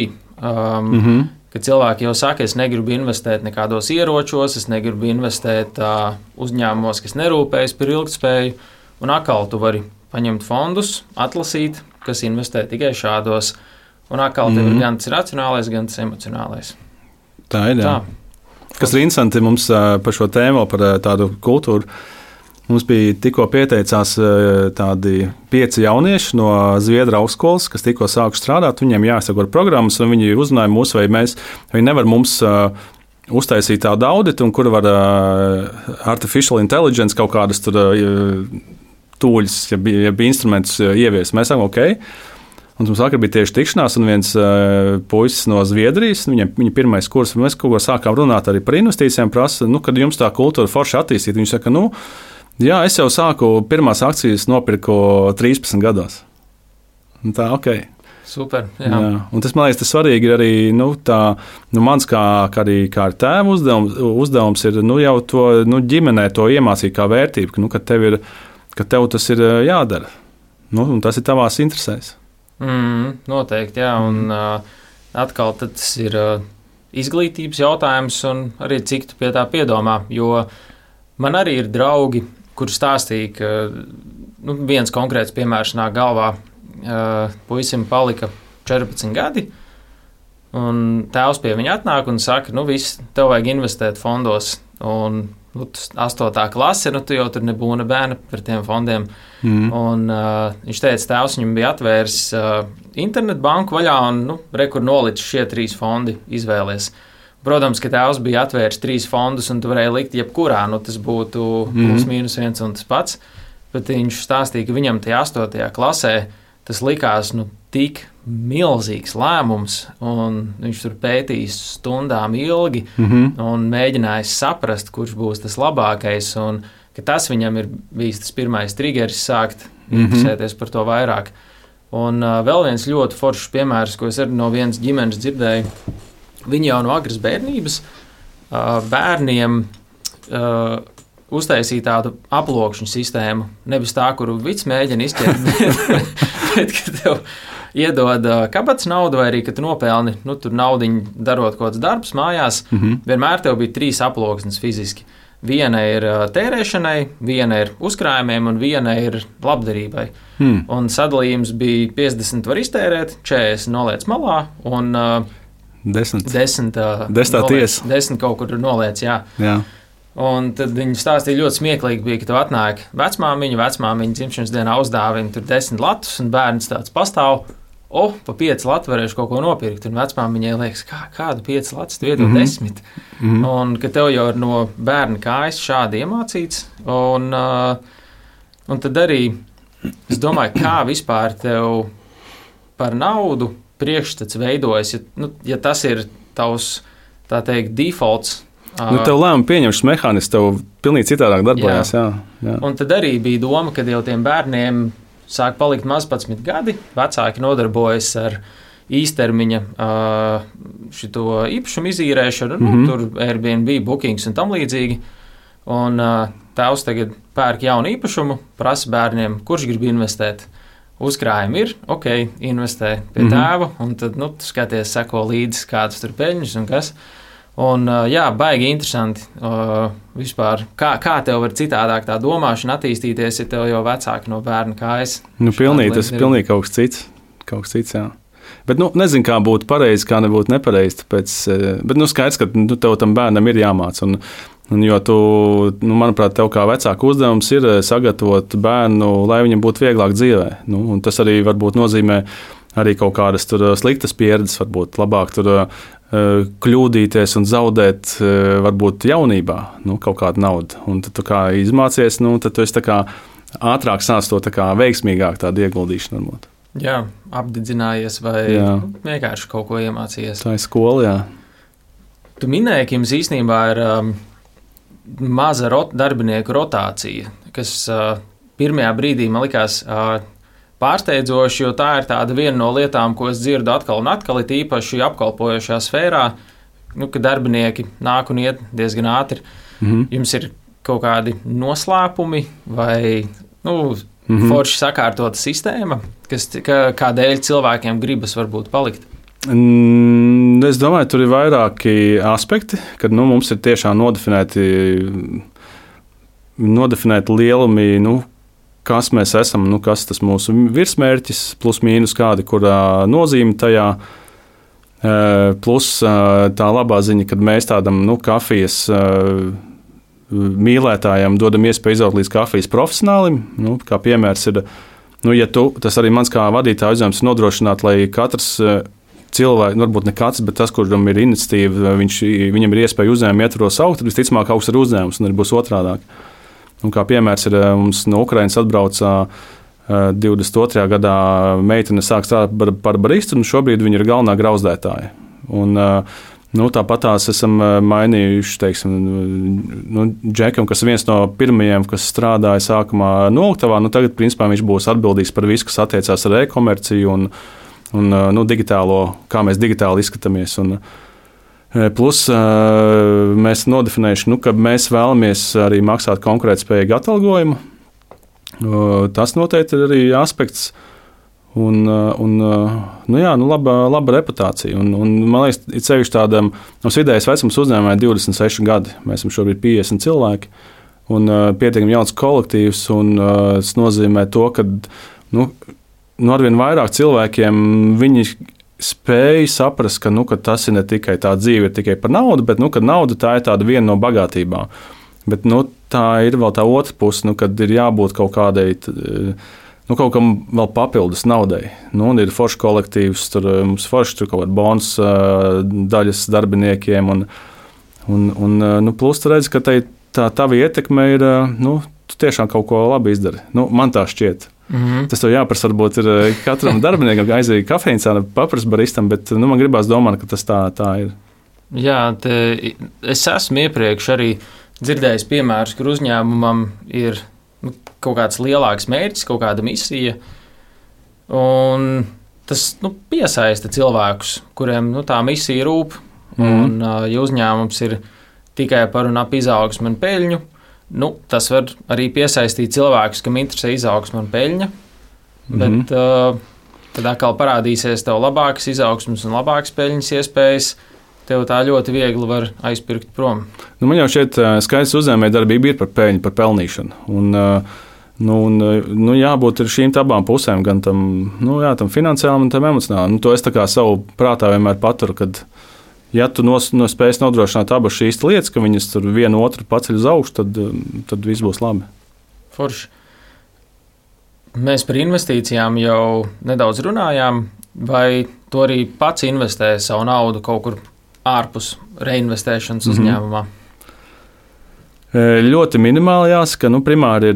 Kad cilvēki jau saka, es negribu investēt nekādos ieročos, es negribu investēt uzņēmumos, kas nerūpējas par ilgtspēju, un atkal tu vari paņemt fondus, atlasīt, kas investē tikai šādos, un atkal tev ir gan tas racionālais, gan tas emocionālais. Tā ir, jā. Kas ir interesanti mums par šo tēmu, par tādu kultūru. Mums bija tikko pieteicās tādi 5 jaunieši no Zviedru augstskolas, kas tikko sākuši strādāt. Viņiem jāsako programmas, un viņi uzrunāja mūs, vai viņi nevar mums uztaisīt tādu auditu, un kur var artificial intelligence kaut kādas tur tūļus, ja instrumentus ievies. Mēs sakām, ok. Un mums vakar bija tieši tikšanās, un viens puisis no Zviedrijas, viņa pirmais kurs, mēs kaut ko sākām runāt arī par investīcijām, prasa, kad jums tā kultūra forši attīstīt. Viņš saka, jā, es jau sāku pirmās akcijas nopirku 13 gados. Un tā, ok. Super, jā. Un tas, man liekas, tas svarīgi ir arī, mans kā ar tēvu uzdevums ir, jau to, ģimenē to iemācīt kā vērtību, ka tev tas ir jādara. Un tas ir tavās interesēs. Noteikti, jā, un atkal tas ir izglītības jautājums, un arī cik tu pie tā piedomā, jo man arī ir draugi, kur stāstīja, ka viens konkrēts piemērs nāk galvā, puisim palika 14 gadi, un tēvs pie viņa atnāk un saka, viss, tev vajag investēt fondos, un 8. klase, tu jau tur nebūna bērna par tiem fondiem. Un viņš teica, tēvs viņam bija atvērs internetbanku vaļā un, kur nolicis šie 3 fondi izvēlies. Protams, ka tēvs bija atvērs 3 fondus un tu varēji likt jebkurā, tas būtu plus mīnus 1 un tas pats. Bet viņš stāstīja, ka viņam tajā 8. klasē tas likās, tik milzīgs lēmums, un viņš tur pētījis stundām ilgi un mēģinājis saprast, kurš būs tas labākais, un ka tas viņam ir bijis tas pirmais triggeris sākt interesēties par to vairāk. Un vēl viens ļoti foršs piemērs, ko es arī no vienas ģimenes dzirdēju, viņi jau no agras bērnības bērniem uztaisīja tādu aplokšņu sistēmu, nevis tā, kuru vids mēģina izķert, bet ka tev iedod kabatas naudu, vai arī, ka tu nopelni, tur naudiņu darot kaut kāds darbs mājās, vienmēr tev bija 3 aploksnes fiziski. Viena ir tērēšanai, viena ir uzkrājumiem un viena ir labdarībai. Un sadalījums bija 50 var iztērēt, 40 noliec malā un 10 kaut kur noliec, jā. Un tad viņi stāstīja ļoti smieklīgi, bija, ka tev atnāk vecmāmiņa dzimšanas dienā uzdāvina tur 10 latus, un bērns tāds pastāv, pa 5 latu varēšu kaut ko nopirkt, un vecmāmiņai liekas, kādu 5 latus tu iedod 10? Un ka tev jau ir no bērna kājas šādi iemācīts, un tad arī, es domāju, kā vispār tev par naudu priekšstats veidojas, ja tas ir tavs, tā teikt, defaults. Tev lēmumu pieņemšanas mehānisms tev pilnīgi citādāk darbojas. Jā. Un tad arī bija doma, ka jau tiem bērniem sāk palikt maz 11 gadi, vecāki nodarbojas ar īstermiņa šito īpašumu izīrēšanu, tur Airbnb, bookings un tam līdzīgi. Un tēvs tagad pērk jaunu īpašumu, prasa bērniem, kurš grib investēt. Uzkrājumi ir, ok, investē pie tēva, un tad, skaties, seko līdzi, kādas tur peļņas un kas. Un, baigi interesanti vispār, kā tev var citādāk tā domāšana attīstīties, ja tev jau vecāki no bērna kājas. Pilnīgi, tas ir pilnīgi kaut kas cits, jā. Bet nezinu, kā būtu pareizi, kā nebūtu nepareizi. Bet skaidrs, ka tev tam bērnam ir jāmāca. Jo tu, manuprāt, tev kā vecāku uzdevums ir sagatavot bērnu, lai viņam būtu vieglāk dzīvē. Tas arī varbūt nozīmē arī kaut kādas sliktas pieredzes, varbūt labāk tur kļūdīties un zaudēt varbūt jaunībā kaut kādu naudu. Un tad tu kā izmācies, tad tu esi tā kā ātrāk sāc to tā kā veiksmīgāk tādu ieguldīšanu varbūt. Jā, apdedzinājies vai vienkārši kaut ko iemācījies. Tā ir skola, jā. Tu minēji, ka jums īstenībā ir maza darbinieku rotācija, kas pirmajā brīdī man likās pārsteidzoši, jo tā ir tāda viena no lietām, ko es dzirdu atkal un atkal, it īpaši apkalpojošajā sfērā, ka darbinieki nāk un iet diezgan ātri. Jums ir kaut kādi noslēpumi vai forši sakārtota sistēma, kādēļ cilvēkiem gribas varbūt palikt? Es domāju, tur ir vairāki aspekti, kad mums ir tiešām nodefinēti lielumi, kas mēs esam, kas tas mūsu virsmērķis, plus mīnus kāda, kurā nozīme tajā, plus tā labā ziņa, kad mēs tādam kafijas mīlētājiem dodam iespēju izaugt līdz kafijas profesionālim. Kā piemērs ir, tas arī mans kā vadītāja uzdevums ir nodrošināt, lai katrs cilvēks, varbūt ne katrs, bet tas, kuram ir iniciatīva, viņam ir iespēja uzņēmumu ietvaros augt, tad visticamāk augs ir uzņēmums un arī būs otrādāk. Kā piemērs ir, mums no Ukrainas atbrauca 22. gadā meitene sāk strādāt par baristu, un šobrīd viņa ir galvenā grauzdētāja. Tāpat tās esam mainījuši, teiksim, Džekam, kas ir viens no pirmajiem, kas strādāja sākumā noliktavā, tagad, principā, viņš būs atbildīgs par visu, kas attiecās ar e-komerciju un digitālo, kā mēs digitāli izskatāmies. Plus mēs nodefinējuši, ka mēs vēlamies arī maksāt konkurētspējīgu atalgojumu. Tas noteikti ir arī aspekts. Laba reputācija. Man liekas, ir sevišķi tādam, mums vidējais vecums uzņēmumā ir 26 gadi. Mēs esam šobrīd 50 cilvēki un pietiekami jauns kolektīvs. Tas nozīmē to, ka arvien vairāk cilvēkiem viņi spēja saprast, ka tas ir ne tikai tā dzīve, ir tikai par naudu, bet ka nauda tā ir tāda viena no bagātībām. Bet tā ir vēl tā otra puse, kad ir jābūt kaut kādai. Kaut kam vēl papildus naudai. Ir foršs kolektīvs, mums forši tur kaut kāda bonus daļas darbiniekiem. Plus tu redzi, ka tā tava ietekme ir, tu tiešām kaut ko labi izdari. Man tā šķiet. Tas tev jāprasa, varbūt ir katram darbiniekam aiziet kafejnīcā, paprast baristam, bet man gribās domāt, ka tas tā ir. Jā, es esmu iepriekš arī dzirdējis piemērus, kur uzņēmumam ir kaut kāds lielāks mērķis, kaut kāda misija, un tas piesaista cilvēkus, kuriem tā misija rūp. Un, ja uzņēmums ir tikai par un ap izaugsmu un peļņu, tas var arī piesaistīt cilvēkus, kam interesē izaugsme un peļņa, bet tad atkal parādīsies tev labākas izaugsmes un labākas peļņas iespējas. Tev tā ļoti viegli var aizpirkt prom. Man jau šeit skaidrs uzņēmējdarbība ir par peļņu, par pelnīšanu. Jābūt šīm abām pusēm, gan tam, tam finansiālam un tam emocionālam. To es tā kā savu prātā vienmēr paturu, kad, ja tu spēj nodrošināt abas šīs lietas, ka viņas tur vienu otru paceļ uz augšu, tad viss būs labi. Forši. Mēs par investīcijām jau nedaudz runājām, vai tu arī pats investē savu naudu kaut kur ārpus reinvestēšanas uzņēmumā? Ļoti minimāli jāsaka. Primāri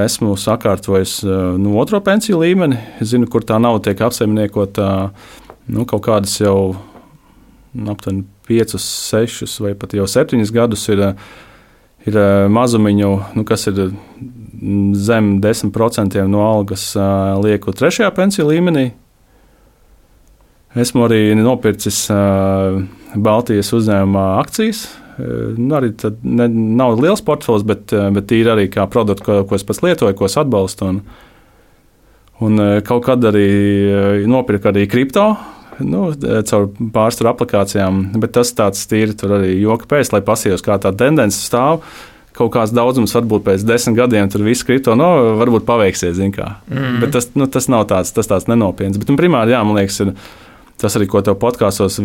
esmu sakārtojis otro pensiju līmeni. Es zinu, kur tā nauda tiek apsaimniekota kaut kādas jau aptuveni 5, 6 vai pat jau 7 gadus ir mazumiņu, kas ir zem 10% no algas lieku trešajā pensiju līmenī. Esmu arī nopircis Baltijas uzņēmumā akcijas. Arī nav liels portfels, bet ir arī kā produkti, ko es pats lietoju, ko es atbalstu. Un kaut kad arī nopirku arī kripto, caur pārstāru aplikācijām, bet tas tāds tīri tur arī joka pēc, lai pasījos, kā tā tendence stāv, kaut kāds daudzums, varbūt pēc 10 gadiem tur viss kripto, varbūt paveiksies, zin kā. Bet tas nav tāds nenopietns. Bet primāri, jā, man liekas, ir tas arī, ko tev podkāstos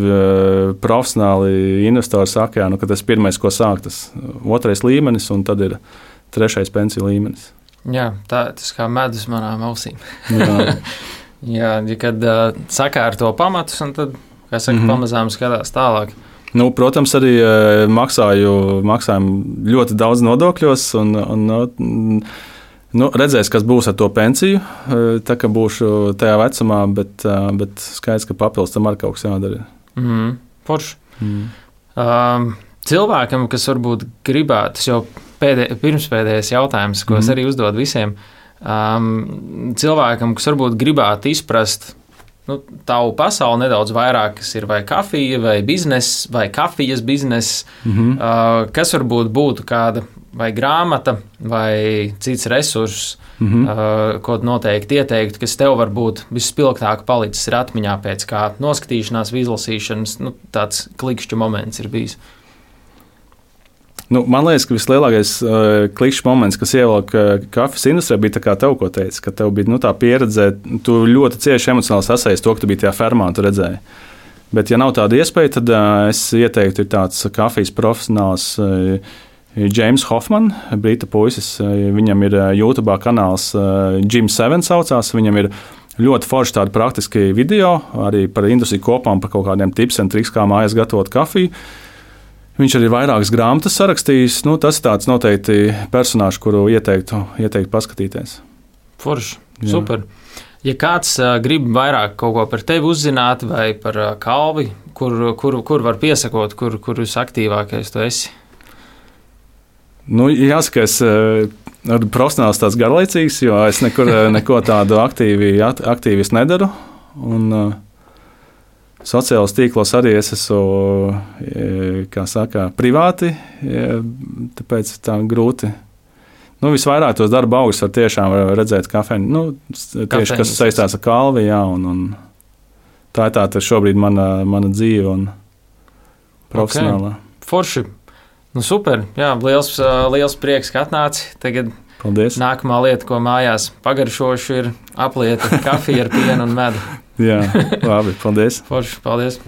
profesionāli investori saka, jā, ka tas pirmais, ko sāk, tas 2. līmenis, un tad ir 3. pensiju līmenis. Jā, tas kā medus manām ausīm. Jā. Jā, kad sakārto pamatus, un tad, kā saka, pamazām skatās tālāk. Protams, arī maksājam ļoti daudz nodokļos, un redzēs, kas būs ar to pensiju, tā kā būšu tajā vecumā, bet skaidrs, ka papildus tam arī kaut kas jādara. Forši. Cilvēkam, kas varbūt gribētu, tas jau pirmspēdējais jautājums, ko es arī uzdodu visiem, cilvēkam, kas varbūt gribētu izprast tavu pasauli nedaudz vairāk, kas ir vai kafija, vai bizness, vai kafijas bizness, kas varbūt būtu kāda vai grāmata, vai cits resurss, ko noteikti ieteiktu, kas tev varbūt vispilgtāk palicis ir atmiņā pēc kā noskatīšanās, izlasīšanas, tāds klikšķu moments ir bijis. Man liekas, ka vislielākais klikšķis moments, kas ievilka kafijas industrijā, bija tā kā tev, ko teici, ka tev bija tā pieredze, tu ļoti cieši emocionāli sasaisti to, ka tu biji tajā fermā un tu redzēji. Bet, ja nav tāda iespēja, tad es ieteiktu, ir tāds kafijas profesionāls James Hoffman, brita puisis. Viņam ir YouTube kanāls Jim 7 saucās, viņam ir ļoti forši tādi praktiski video, arī par industriju kopā un par kaut kādiem tips un triks, kā mājās gatavot kafiju. Viņš arī vairākas grāmatas sarakstījis. Tas ir tāds noteikti personāžs, kuru ieteiktu paskatīties. Forši, super. Ja kāds grib vairāk kaut ko par tevi uzzināt vai par Kalvi, kur var piesakot, kur visaktīvākais tu esi? Jāsaka, es esmu profesionāls tāds garlaicīgs, jo es neko tādu aktīvis nedaru. Un, sociālos tīklos arī es esmu, kā saka, privāti, tāpēc tā grūti. Visvairāk tos darba augus var tiešām redzēt kafēni, tieši kas saistās ar Kalvi, jā, un tā ir tā šobrīd mana dzīve un profesionālā. Okay. Forši. Super, jā, liels prieks, ka atnāci. Tagad paldies. Nākamā lieta, ko mājās pagaršošu, ir aplieta kafija ar pienu un medu. Jā, labi, paldies. Forši, paldies.